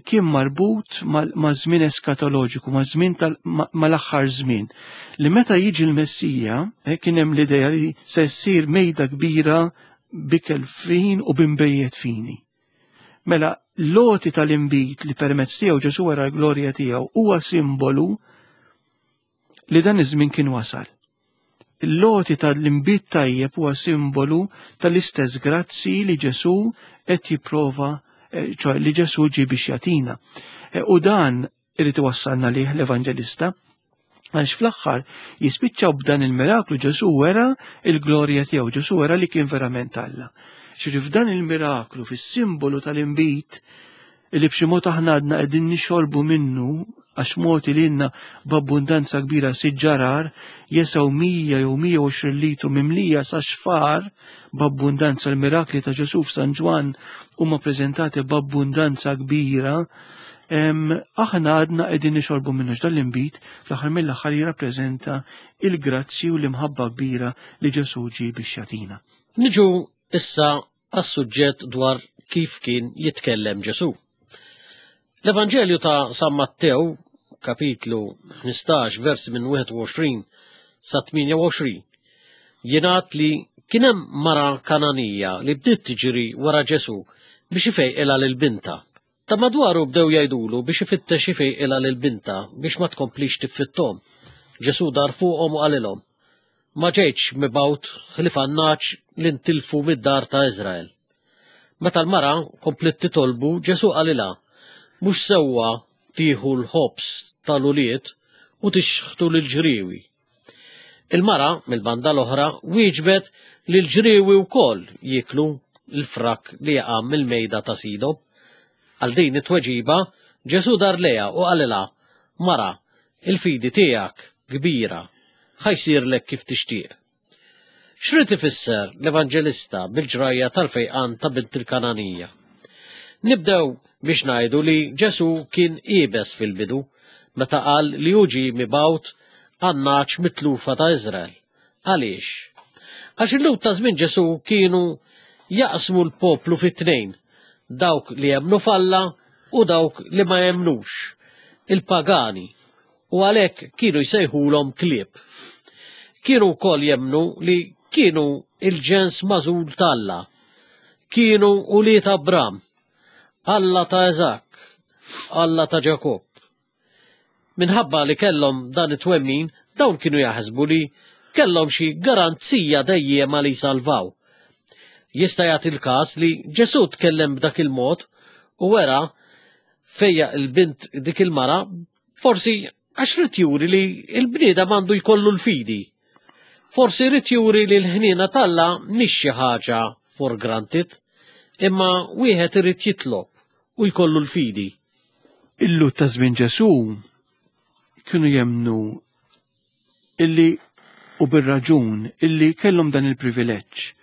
S2: kien marbut ma' żmien eskatoloġiku, ma' żmien mal-aħħar żmien, li meta jiġi l-Messija, kien hemm l-idea li se ssir mejda kbira bikel fin u b'imbejjed fini. Mela l-loti tal-inbid li permezz tiegħu Ġesù wara l-glorja tiegħu huwa simbolu li dan iż-żmien kien wasal. Il-loti tal-inbid tajjeb huwa simbolu tal-istess grazzi li Ġesù qed jipprova, ċoħ li Ġesù ġie biex jagħtina. U dan irid iwassalna lih l-Evanġelista, għaliex fl-aħħar jispiċċaw b'dan il-miraklu Ġesù wera il-glorja tiegħu, Ġesù wera li kien verament Alla. Ġifieri f'dan il-miraklu, fis-simbolu tal-inbid, li b'xi mod aħna għadna qegħdin nixorbu minnu, għax moti lilna b'abbundanza kbira siġġarar jesaw mija jew mija u għoxrin litru mimlija sa xfar b'abbundanza. L-mirakli ta' Ġesù f'San Ġwann huma preżentati b'abbundanza kbira. Aħna għadna qegħdin nixorbu minnu x'dan l-inbid fl-aħħar mill-aħħar jirrappreżenta il-grazzi u l-imħabba kbira li Ġesù ġie biex jagħtina.
S1: Niġu issa għas-suġġett dwar kif kien jitkellem Ġesù. L-Evanġelju ta' San Mattew, kapitlu ħmistax, versi minn wieħed u għoxrin sa tmienja u għoxrin, jingħad li kien hemm mara Kananija li bdiet tiġri wara Ġesù biex ifejqilha lil binta. Ta' madwaru bdew jgħidulu biex ifittex ifejqilha lil binta biex ma tkomplix tiffittom. Ġesù dar fuqhom u qalilhom, ma ġejtx mibgħut ħlief għan-nagħaġ li ntilfu mid-dar ta' Iżrael. Meta l-mara kompliet titolbu, Ġesù qalilha, mhux sewwa tieħu l-ħobż tal-ulied u tixħtu lill-ġriewi. Il-mara mill-banda l-oħra wieġbet li l-ġriewi wkoll jieklu l-frak li jaqa' mill-mejda ta' sidhom. Għal din it-tweġiba, Ġesù dar lejha u qalilha, mara, il-fidi tiegħek kbira, ħajsirlek kif tixtieq. X'rid ifisser l-Evanġelista bil-ġrajja tal-fejqan ta' bint il-Kananija? Nibdew biex ngħidu li Ġesù kien iebes fil-bidu meta qal li hu ġie mibgħut għan-nagħaġ mitlufa ta' Iżrael. Għaliex? Għax il-Lhud ta' żmien Ġesù kienu jaqsmu l-poplu fit-tnejn, dawk li jemmnu f'Alla u dawk li ma jemmnux, il-pagani, u għalhekk kienu jsejħulhom klieb. Kienu wkoll jemmnu li kienu il-ġens magħżul t'Alla, kienu ulied Abram, Alla ta' Eżak, Alla ta' Ġakobb. Minħabba li kellhom dan it-twemmin, dawn kienu jaħsbu li kellhom xi garanzija dejjema li jsalvaw. Jista' jagħti l-każ li Ġesù tkellem b'dak il-mod u wera fejja il-bint dik il-mara, forsi għax rid juri li l-bniedem għandu jkollu l-fidi. Forsi rid juri li l-ħniena t'Alla mhix xi ħaġa for granted, imma wieħed irid jitlob u jkollu l-fidi.
S2: Il-Lhud ta' żmien Ġesù kienu jemmnu illi u bir-raġun illi kellhom dan il-privileġġ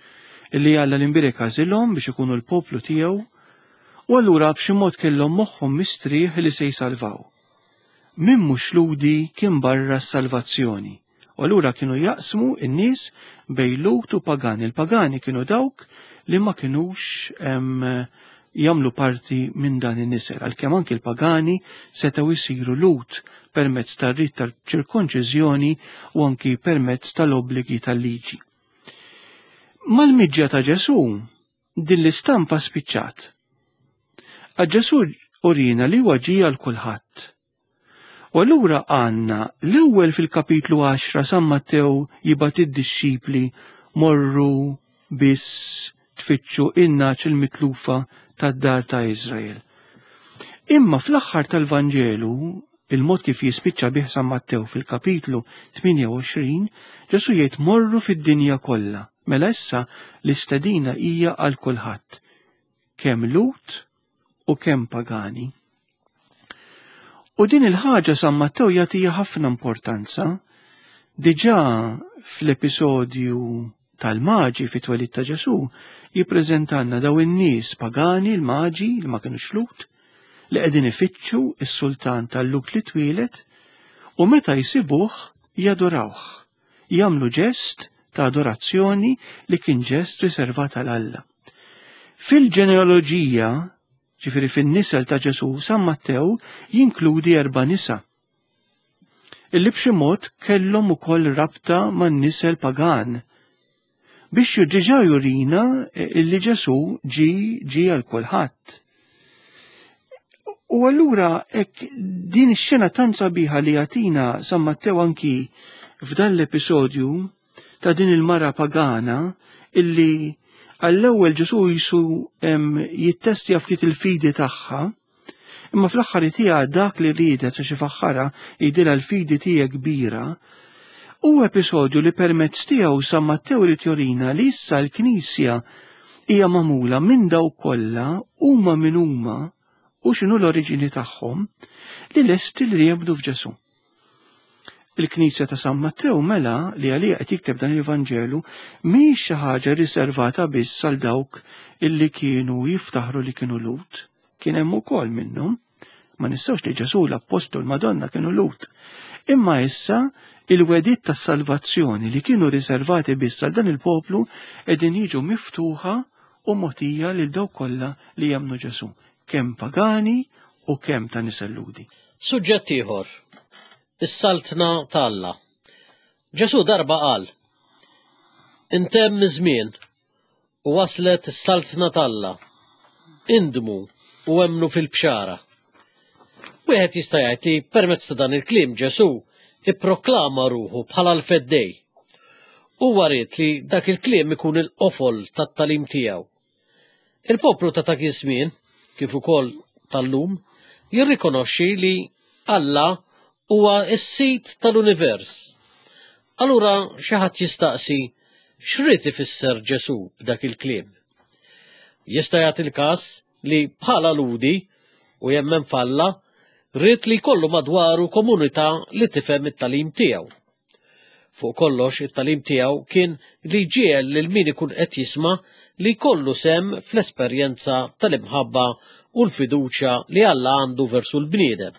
S2: illi Alla l-imbierek għażilhom biex ikunu l-poplu tiegħu U allura b'xi mod kellhom moħħhom mistrieħ li se jsalvaw. Min mhux Lhudi kien barra s-salvazzjoni. U allura kienu jaqsmu n-nies bejn Lhud u pagani. Il-pagani kienu dawk li ma kinux jagħmlu parti minn dan in-nisel, għalkemm anki l-pagani setgħu jsiru Lhud permezz tar-rit tal-ċirkonċiżjoni u anki permezz tal-obbligi tal-liġi. Mal-miġja ta' Ġesù din l-istampa spiċċat. Għax Ġesù urina li huwa ġie għal kulħadd. U allura għandna l-ewwel fil-kapitlu għaxra San Mattew jibgħat id-dixxipli morru biss tfittxu in-nagħaġ il-mitlufa tad-dar ta' Iżrael. Imma fl-aħħar tal-Vanġelu, il-mod kif jispiċċa bih San Mattew fil-kapitlu tmienja u għoxrin, Ġesù jgħid morru fid-dinja kollha. Mela issa l-istedina hija għal kulħadd, kemm Lhud u kemm pagani. U din il-ħaġa San Mattew jagħtiha ħafna importanza. Diġà fl-episodju tal-maġi fit-twelid ta' Ġesù jippreżentanna daw in-nies pagani, l-maġi li ma kinux Lhud, li qegħdin ifittxu s-sultan tal-Lhud li twieled, u meta jsibuh jadorawh, jagħmlu ġest ta' adorazzjoni li kien ġest riservat għal Alla. Fil-ġenealoġija, ġifieri fin-nisel ta' Ġesù, San Mattew jinkludi erba' nisa illi b'xi mod kellhom ukoll rabta man-nisel pagan, biex ġiġa jurina illi Ġesù ġi ġi għal kulħadd. U allura hekk din ix-xena tant sabiħa li jagħtina San Mattew anki f'dan l-episodju ta' din il-mara pagana illi għall-ewwel Ġesù jisu jittestja ftit il-fidi tagħha, imma fl-aħħar tiegħha dak li riedet sa xi faħħara jidilha l-fidi tiegħek kbira. U episodju li permezz tiegħu San Mattew irid jurina li issa l-Knisja hija magħmula minn dawk kollha huma min huma u x'inhu l-oriġini tagħhom li lesti li jemmnu f'Ġesù. Il-Knisja ta' San Mattew mela li għalija qed jikteb dan il-Vanġelu mhix xi ħaġa riservata biss għal dawk illi kienu jiftaħru li kienu Lhud. Kien hemm ukoll minnhom. Ma nistgħux li Ġesù l-Appostlu l-Madonna kienu Lhud. Imma issa il-wedit tas-salvazzjoni li kienu riservati biss għal dan il-poplu qegħdin jiġu miftuħa u mogħtija lil dawk kollha li jemmnu Ġesù, kemm pagani u kemm ta' nisel Lhudi.
S1: Suġġett ieħor, is-saltna ta' Alla. Ġesù darba qal, intemm iż-żmien u waslet is-saltna ta' Alla. Indmu u emmnu fil-bxara. Wieħed jista' jgħid li permezz ta' dan il-kliem Ġesù ipproklama ruħu bħala l-feddej. Huwa ried li dak il-kliem ikun il-qofol tat-tagħlim tiegħu. Il-poplu ta' dak iż-żmien, kif ukoll tal-lum, jirrikonoxxi li Alla huwa s-sid tal-univers. Allura xi ħadd jistaqsi x'rid ifisser Ġesù b'dak il-kliem. Jista' jagħti l-każ li bħala Lhudi u jemmen f'Alla ried li jkollu madwaru komunità li tifhem it-tagħlim tiegħu. Fuq kollox it-tagħlim tiegħu kien li ġiegħel lil min ikun qed jisma' li jkollu sem fl-esperjenza tal-imħabba u l-fiduċja li Alla għandu versu l-bniedem.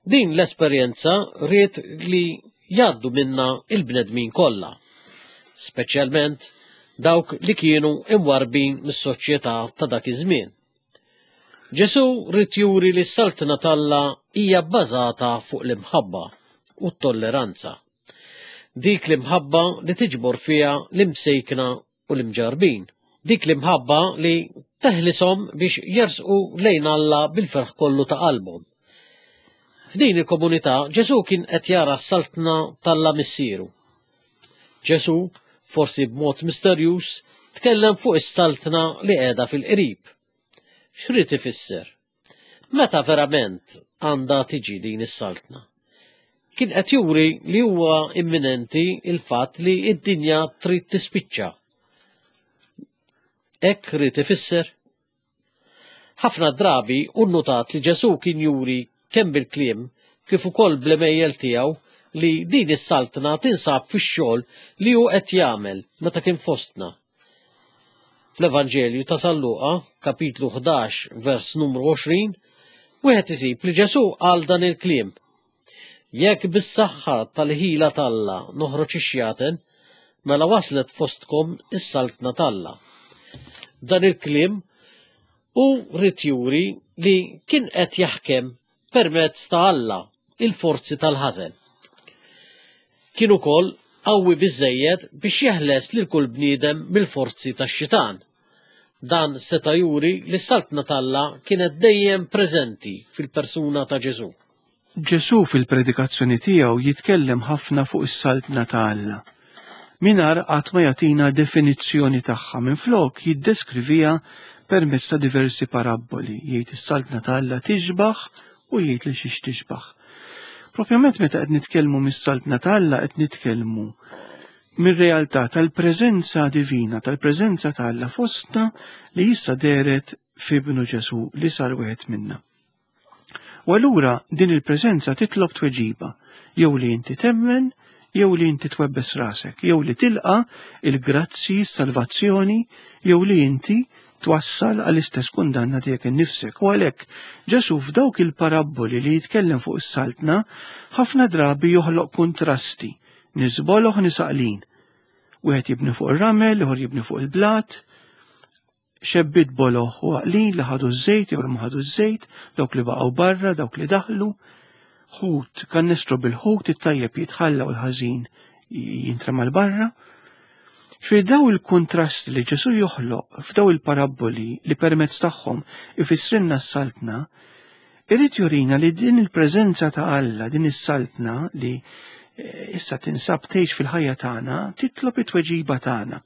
S1: Din l-esperjenza ried li jgħaddu minna il-bnedmin kollha, speċjalment dawk li kienu imwarbin mis-soċjetà ta' dak iż-żmien. Ġesù ried juri li s-saltna t'Alla hija bbażata fuq l-imħabba u t-tolleranza. Dik l-imħabba li tiġbor fiha l-imsejkna u l-imġarbin. Dik l-imħabba li teħlishom biex jersqu lejn Alla bil-ferħ kollu ta' qalbhom. F'din il-komunità Ġesù kien qed jara s-saltna t'Alla missieru. Ġesù, forsi b'mod misterjuż, tkellem fuq is-saltna li qiegħda fil-qrib. X'rid ifisser? Meta verament għandha tiġi din is-saltna? Kien qed juri li huwa imminenti il-fatt li d-dinja trid tispiċċa. Hekk ried ifisser? Ħafna drabi hu nnotat li Ġesù kien juri kemm bil-kliem kif ukoll bl-għemejjel tiegħu li din is-saltna tinsab fix-xogħol li hu qed jagħmel meta kien fostna. Fl-Evanġelju ta' San Luqa, kapitlu ħdax, vers numru għoxrin, wieħed isib li Ġesù qal dan il-kliem: Jekk bis-saħħa tal-ħila t'Alla noħroġ ix-xjaten, mela waslet fostkom is-saltna t'Alla. Dan il-kliem hu ried juri li kien qed jaħkem permezz ta' Alla il-forzi tal-ħażen. Kien ukoll qawwi biżżejjed biex jeħles lil kull bniedem mill-forzi tax-xitan. Dan seta' juri li s-saltna t'Alla kienet dejjem preżenti fil-persuna ta' Ġesù.
S2: Ġesù fil-predikazzjoni tiegħu jitkellem ħafna fuq is-saltna ta' Alla. Mingħajr qatt ma jagħtina definizzjoni tagħha, minflok jiddeskriviha permezz ta' diversi parabboli. Jgħid is-saltna ta' Alla tixbaħ u jgħid li xiex tixbaħ. Propjament meta qed nitkellmu mis-saltna ta' Alla qed nitkellmu mir-realtà tal-preżenza divina, tal-preżenza ta' Alla fostna li issa dehret f'ibnu Ġesù li sar wieħed minna. U allura din il-preżenza titlob tweġiba, jew li inti temmen, jew li inti twebbes rasek, jew li tilqa il-grazzi, s-salvazzjoni, jew li inti twassal għall-istess kundanna tiegħek innifsek. U għalhekk Ġesù f'dawk il-parabboli li jitkellem fuq is-saltna ħafna drabi joħloq kontrasti, nies boloh nies għaqlin. Wieħed jibni fuq ir-ramel, ieħor jibni fuq il-blat, xebbiet boloh u għaqlin li ħadu ż-żejt jew li ma ħadu ż-żejt, dawk li baqgħu barra, dawk li daħlu, ħut, kannestru bil-ħut, it-tajjeb jitħalla u l-ħażin jintrema 'l barra. Fi daw il-kontrast li Ġesù joħloq f'daw il-parabboli li permezz tagħhom ifissrilna s-saltna, irid jurina li din il-preżenza ta' Alla, din is-saltna li issa tinsab tgħix fil-ħajja tagħna, titlob it-tweġiba tagħna.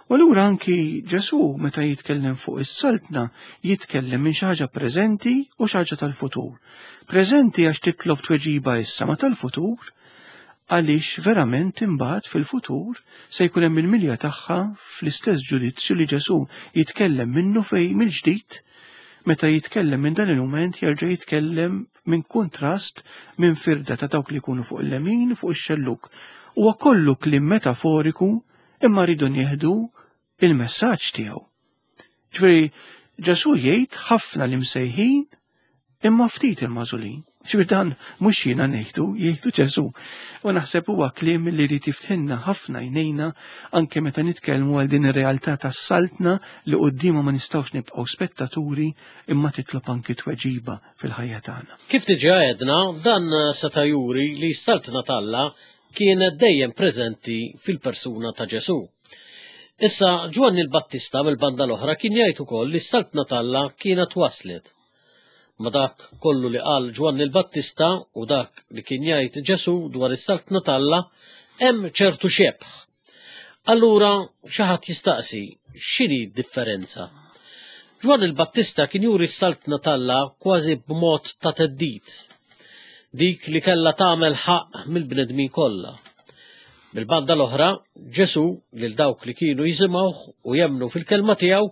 S2: U allura anki Ġesù meta jitkellem fuq is-saltna jitkellem minn xi ħaġa preżenti u xi ħaġa tal-futur. Preżenti għax titlob tweġiba issa, ma tal-futur għaliex verament imbagħad fil-futur se jkun hemm il-milja tagħha fl-istess ġudizzju li Ġesù jitkellem minnu fej mill-ġdid. Meta jitkellem minn dan il-mument jerġa' jitkellem minn kontrast minn firda ta' dawk li jkunu fuq il-lemin fuq ix-xelluk. Huwa kollu kliem metaforiku imma rridu nieħdu il-messaġġ tiegħu. Ġifieri Ġesù jgħid ħafna li msejħin imma ftit il-magħżulin. Ġifieri dan mhux jiena ngħidu, jgħidu Ġesù. U naħseb huwa kliem li jrid jiftħilna ħafna jnejna anke meta nitkellmu għal din ir-realtà tas-saltna li quddiemha ma nistgħux nibqgħu spettaturi imma titlob anki tweġiba fil-ħajja tagħna.
S1: Kif diġà għedna, dan seta' juri li s-saltna t'Alla kienet dejjem preżenti fil-persuna ta' Ġesù. Issa Ġwanni l-Battista mill-banda l-oħra kien jgħid ukoll li s-saltna t'Alla kienet waslet. Ma dak kollu li qal Ġwanni l-Battista u dak li kien jgħid Ġesù dwar is-saltna t'Alla hemm ċertu xebh. Allura xi ħadd jistaqsi x'inhi d-differenza? Ġwanni l-Battista kien juri s-saltna t'Alla kważi b'mod ta' theddid, dik li kellha tagħmel ħaqq mill-bnedmin kollha. Mill-banda l-oħra, Ġesù lil dawk li kienu jisimgħuh u jemmnu fil-kelma tiegħu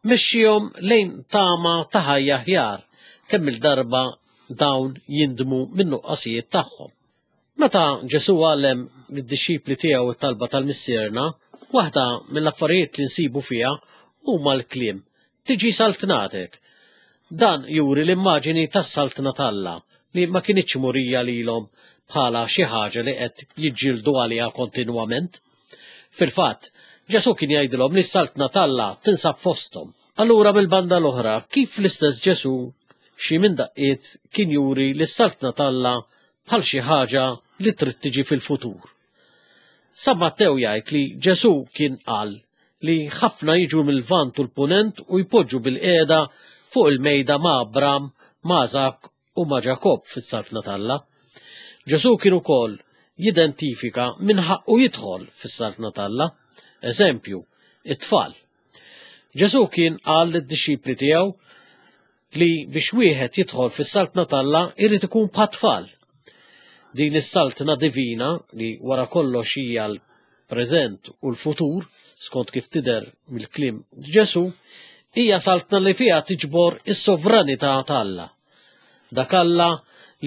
S1: mexxihom lejn tama ta' ħajja aħjar kemm il-darba dawn jindmu min-nuqqasijiet tagħhom. Meta Ġesù għallem lid-dixxipli tiegħu t-talba tal-Missierna, waħda mill-affarijiet li nsibu fiha huma l-kliem tiġi saltnatek. Dan juri l-immaġini tas-saltna t'Alla li ma kinitx murija lilhom bħala xi ħaġa li qed jiġġieldu għaliha kontinwament. Fil-fatt, Ġesù kien jgħidilhom li s-saltna t'Alla tinsab fosthom. Allura mill-banda l-oħra, kif l-istess Ġesù xi minn daqqiet kien juri li s-saltna t'Alla bħal xi ħaġa li trid tiġi fil-futur. San Mattew jgħid li Ġesù kien qal li ħafna jiġu mill-Lvant u l-Punent u jpoġġu bil-qiegħda fuq il-mejda ma' Abram, ma' Iżakk u ma' Ġakobb fis-saltna t'Alla. Ġesù kien ukoll jidentifika min ħaqqu jidħol fis-saltna t'Alla. Eżempju, it-tfal. Ġesù kien qal lid-dixxipli tiegħu li biex wieħed jidħol fis-saltna t'Alla irid ikun bħat-tfal. Din is-saltna divina li wara kollox hija l-preżent u l-futur, skont kif tidher mill-kliem Ġesù, hija saltna li fiha tiġbor is-sovranità t'Alla. Dak Alla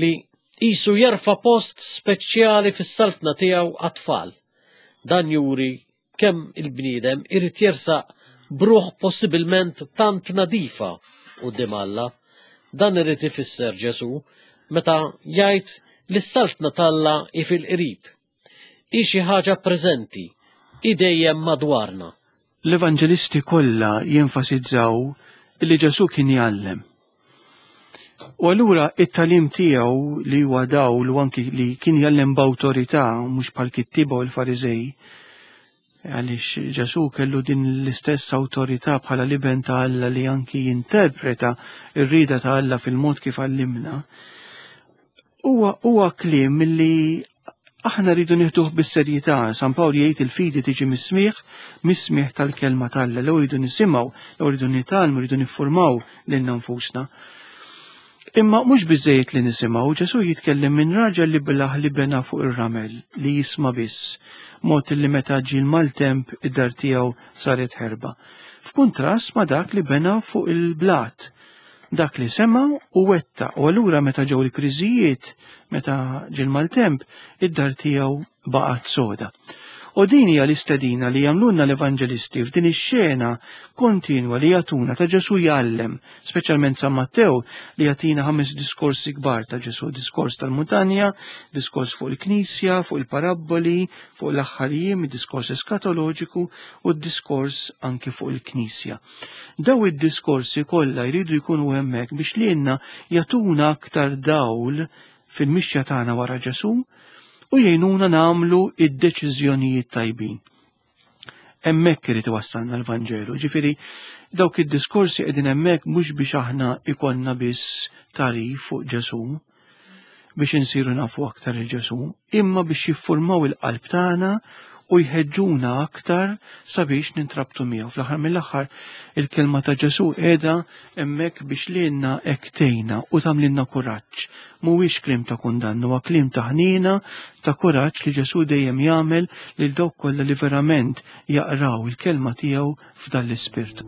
S1: li qisu jerfa' post speċjali fis-saltna tiegħu għat-tfal. Dan juri kemm il-bniedem irid jersaq b'ruħ possibilment tant nadifa quddiem Alla. Dan irid ifisser Ġesù meta jgħid li s-saltna t'Alla hi fil-qrib. Hi xi ħaġa preżenti, hi dejjem madwarna.
S2: L-evanġelisti kollha jenfasizzaw li Ġesù kien jgħallem. U allura it-tagħlim tiegħu li huwa dawl u anki li kien jgħallem b'awtorità mhux bħal kittiba u l-Fariżej, għaliex Ġesù kellu din l-istess awtorità bħala l-Iben ta' Alla li anki jinterpreta r-rieda ta' Alla fil-mod kif għallimna. Huwa huwa kliem li aħna rridu nieħduh bis-serjetà. San Pawl jgħid il-fidi tiġi mis-smigħ, mis-smigħ tal-kelma t'Alla. L-ewwel rridu nisimgħu, l-ewwel rridu nitgħallmu, rridu niffurmaw lilna nfusna. Imma mhux biżejjed li nisimgħu, Ġesù jitkellem minn raġel li belaħ li bena fuq ir-ramel, li jisma' biss, mod li meta ġie l-maltemp id-dar tiegħu saret ħerba. F'kuntrast ma' dak li bena fuq il-blat, dak li sema' u wettaq, u allura meta ġew il-kriżijiet, meta ġie l-maltemp, id-dar tiegħu baqgħet soda. U din hija l-istedina li jagħmlulna l-evanġelisti f'din ix-xena kontinwa li jagħtuna ta' Ġesù jgħallem, speċjalment San Mattew li jagħtina ħames diskorsi kbar ta' Ġesù, diskors tal-muntanja, diskors fuq il-Knisja, fuq il-parabboli, fuq l-aħħar jiem, diskors eskatoloġiku u d-diskors anki fuq il-Knisja. Daw id-diskorsi kollha jridu jkunu hemmhekk biex lilna jagħtuna aktar dawl fil-mixja tagħna wara Ġesù u jgħinuna nagħmlu id-deċiżjonijiet tajbin. Hemmhekk irid iwassalna l-Vanġelu, ġifieri dawk id-diskorsi qegħdin hemmhekk mhux biex aħna ikollna biss tagħrif fuq Ġesù, biex insiru nafu aktar il Ġesù, imma biex jiffurmaw il-qalb tagħna u jħeġġuna aktar sabiex nintrabtu miegħu. Fl-aħħar mill-aħħar il-kelma ta' Ġesù qiegħda hemmhekk biex lilna hekk tgħinna u tagħmlilna kuraġġ. Mhuwiex kliem ta' kundann, huwa kliem ta' ħniena, ta' kuraġġ li Ġesù dejjem jagħmel lil dawk kollha li verament jaqraw il-kelma tiegħu f'dan l-ispirtu.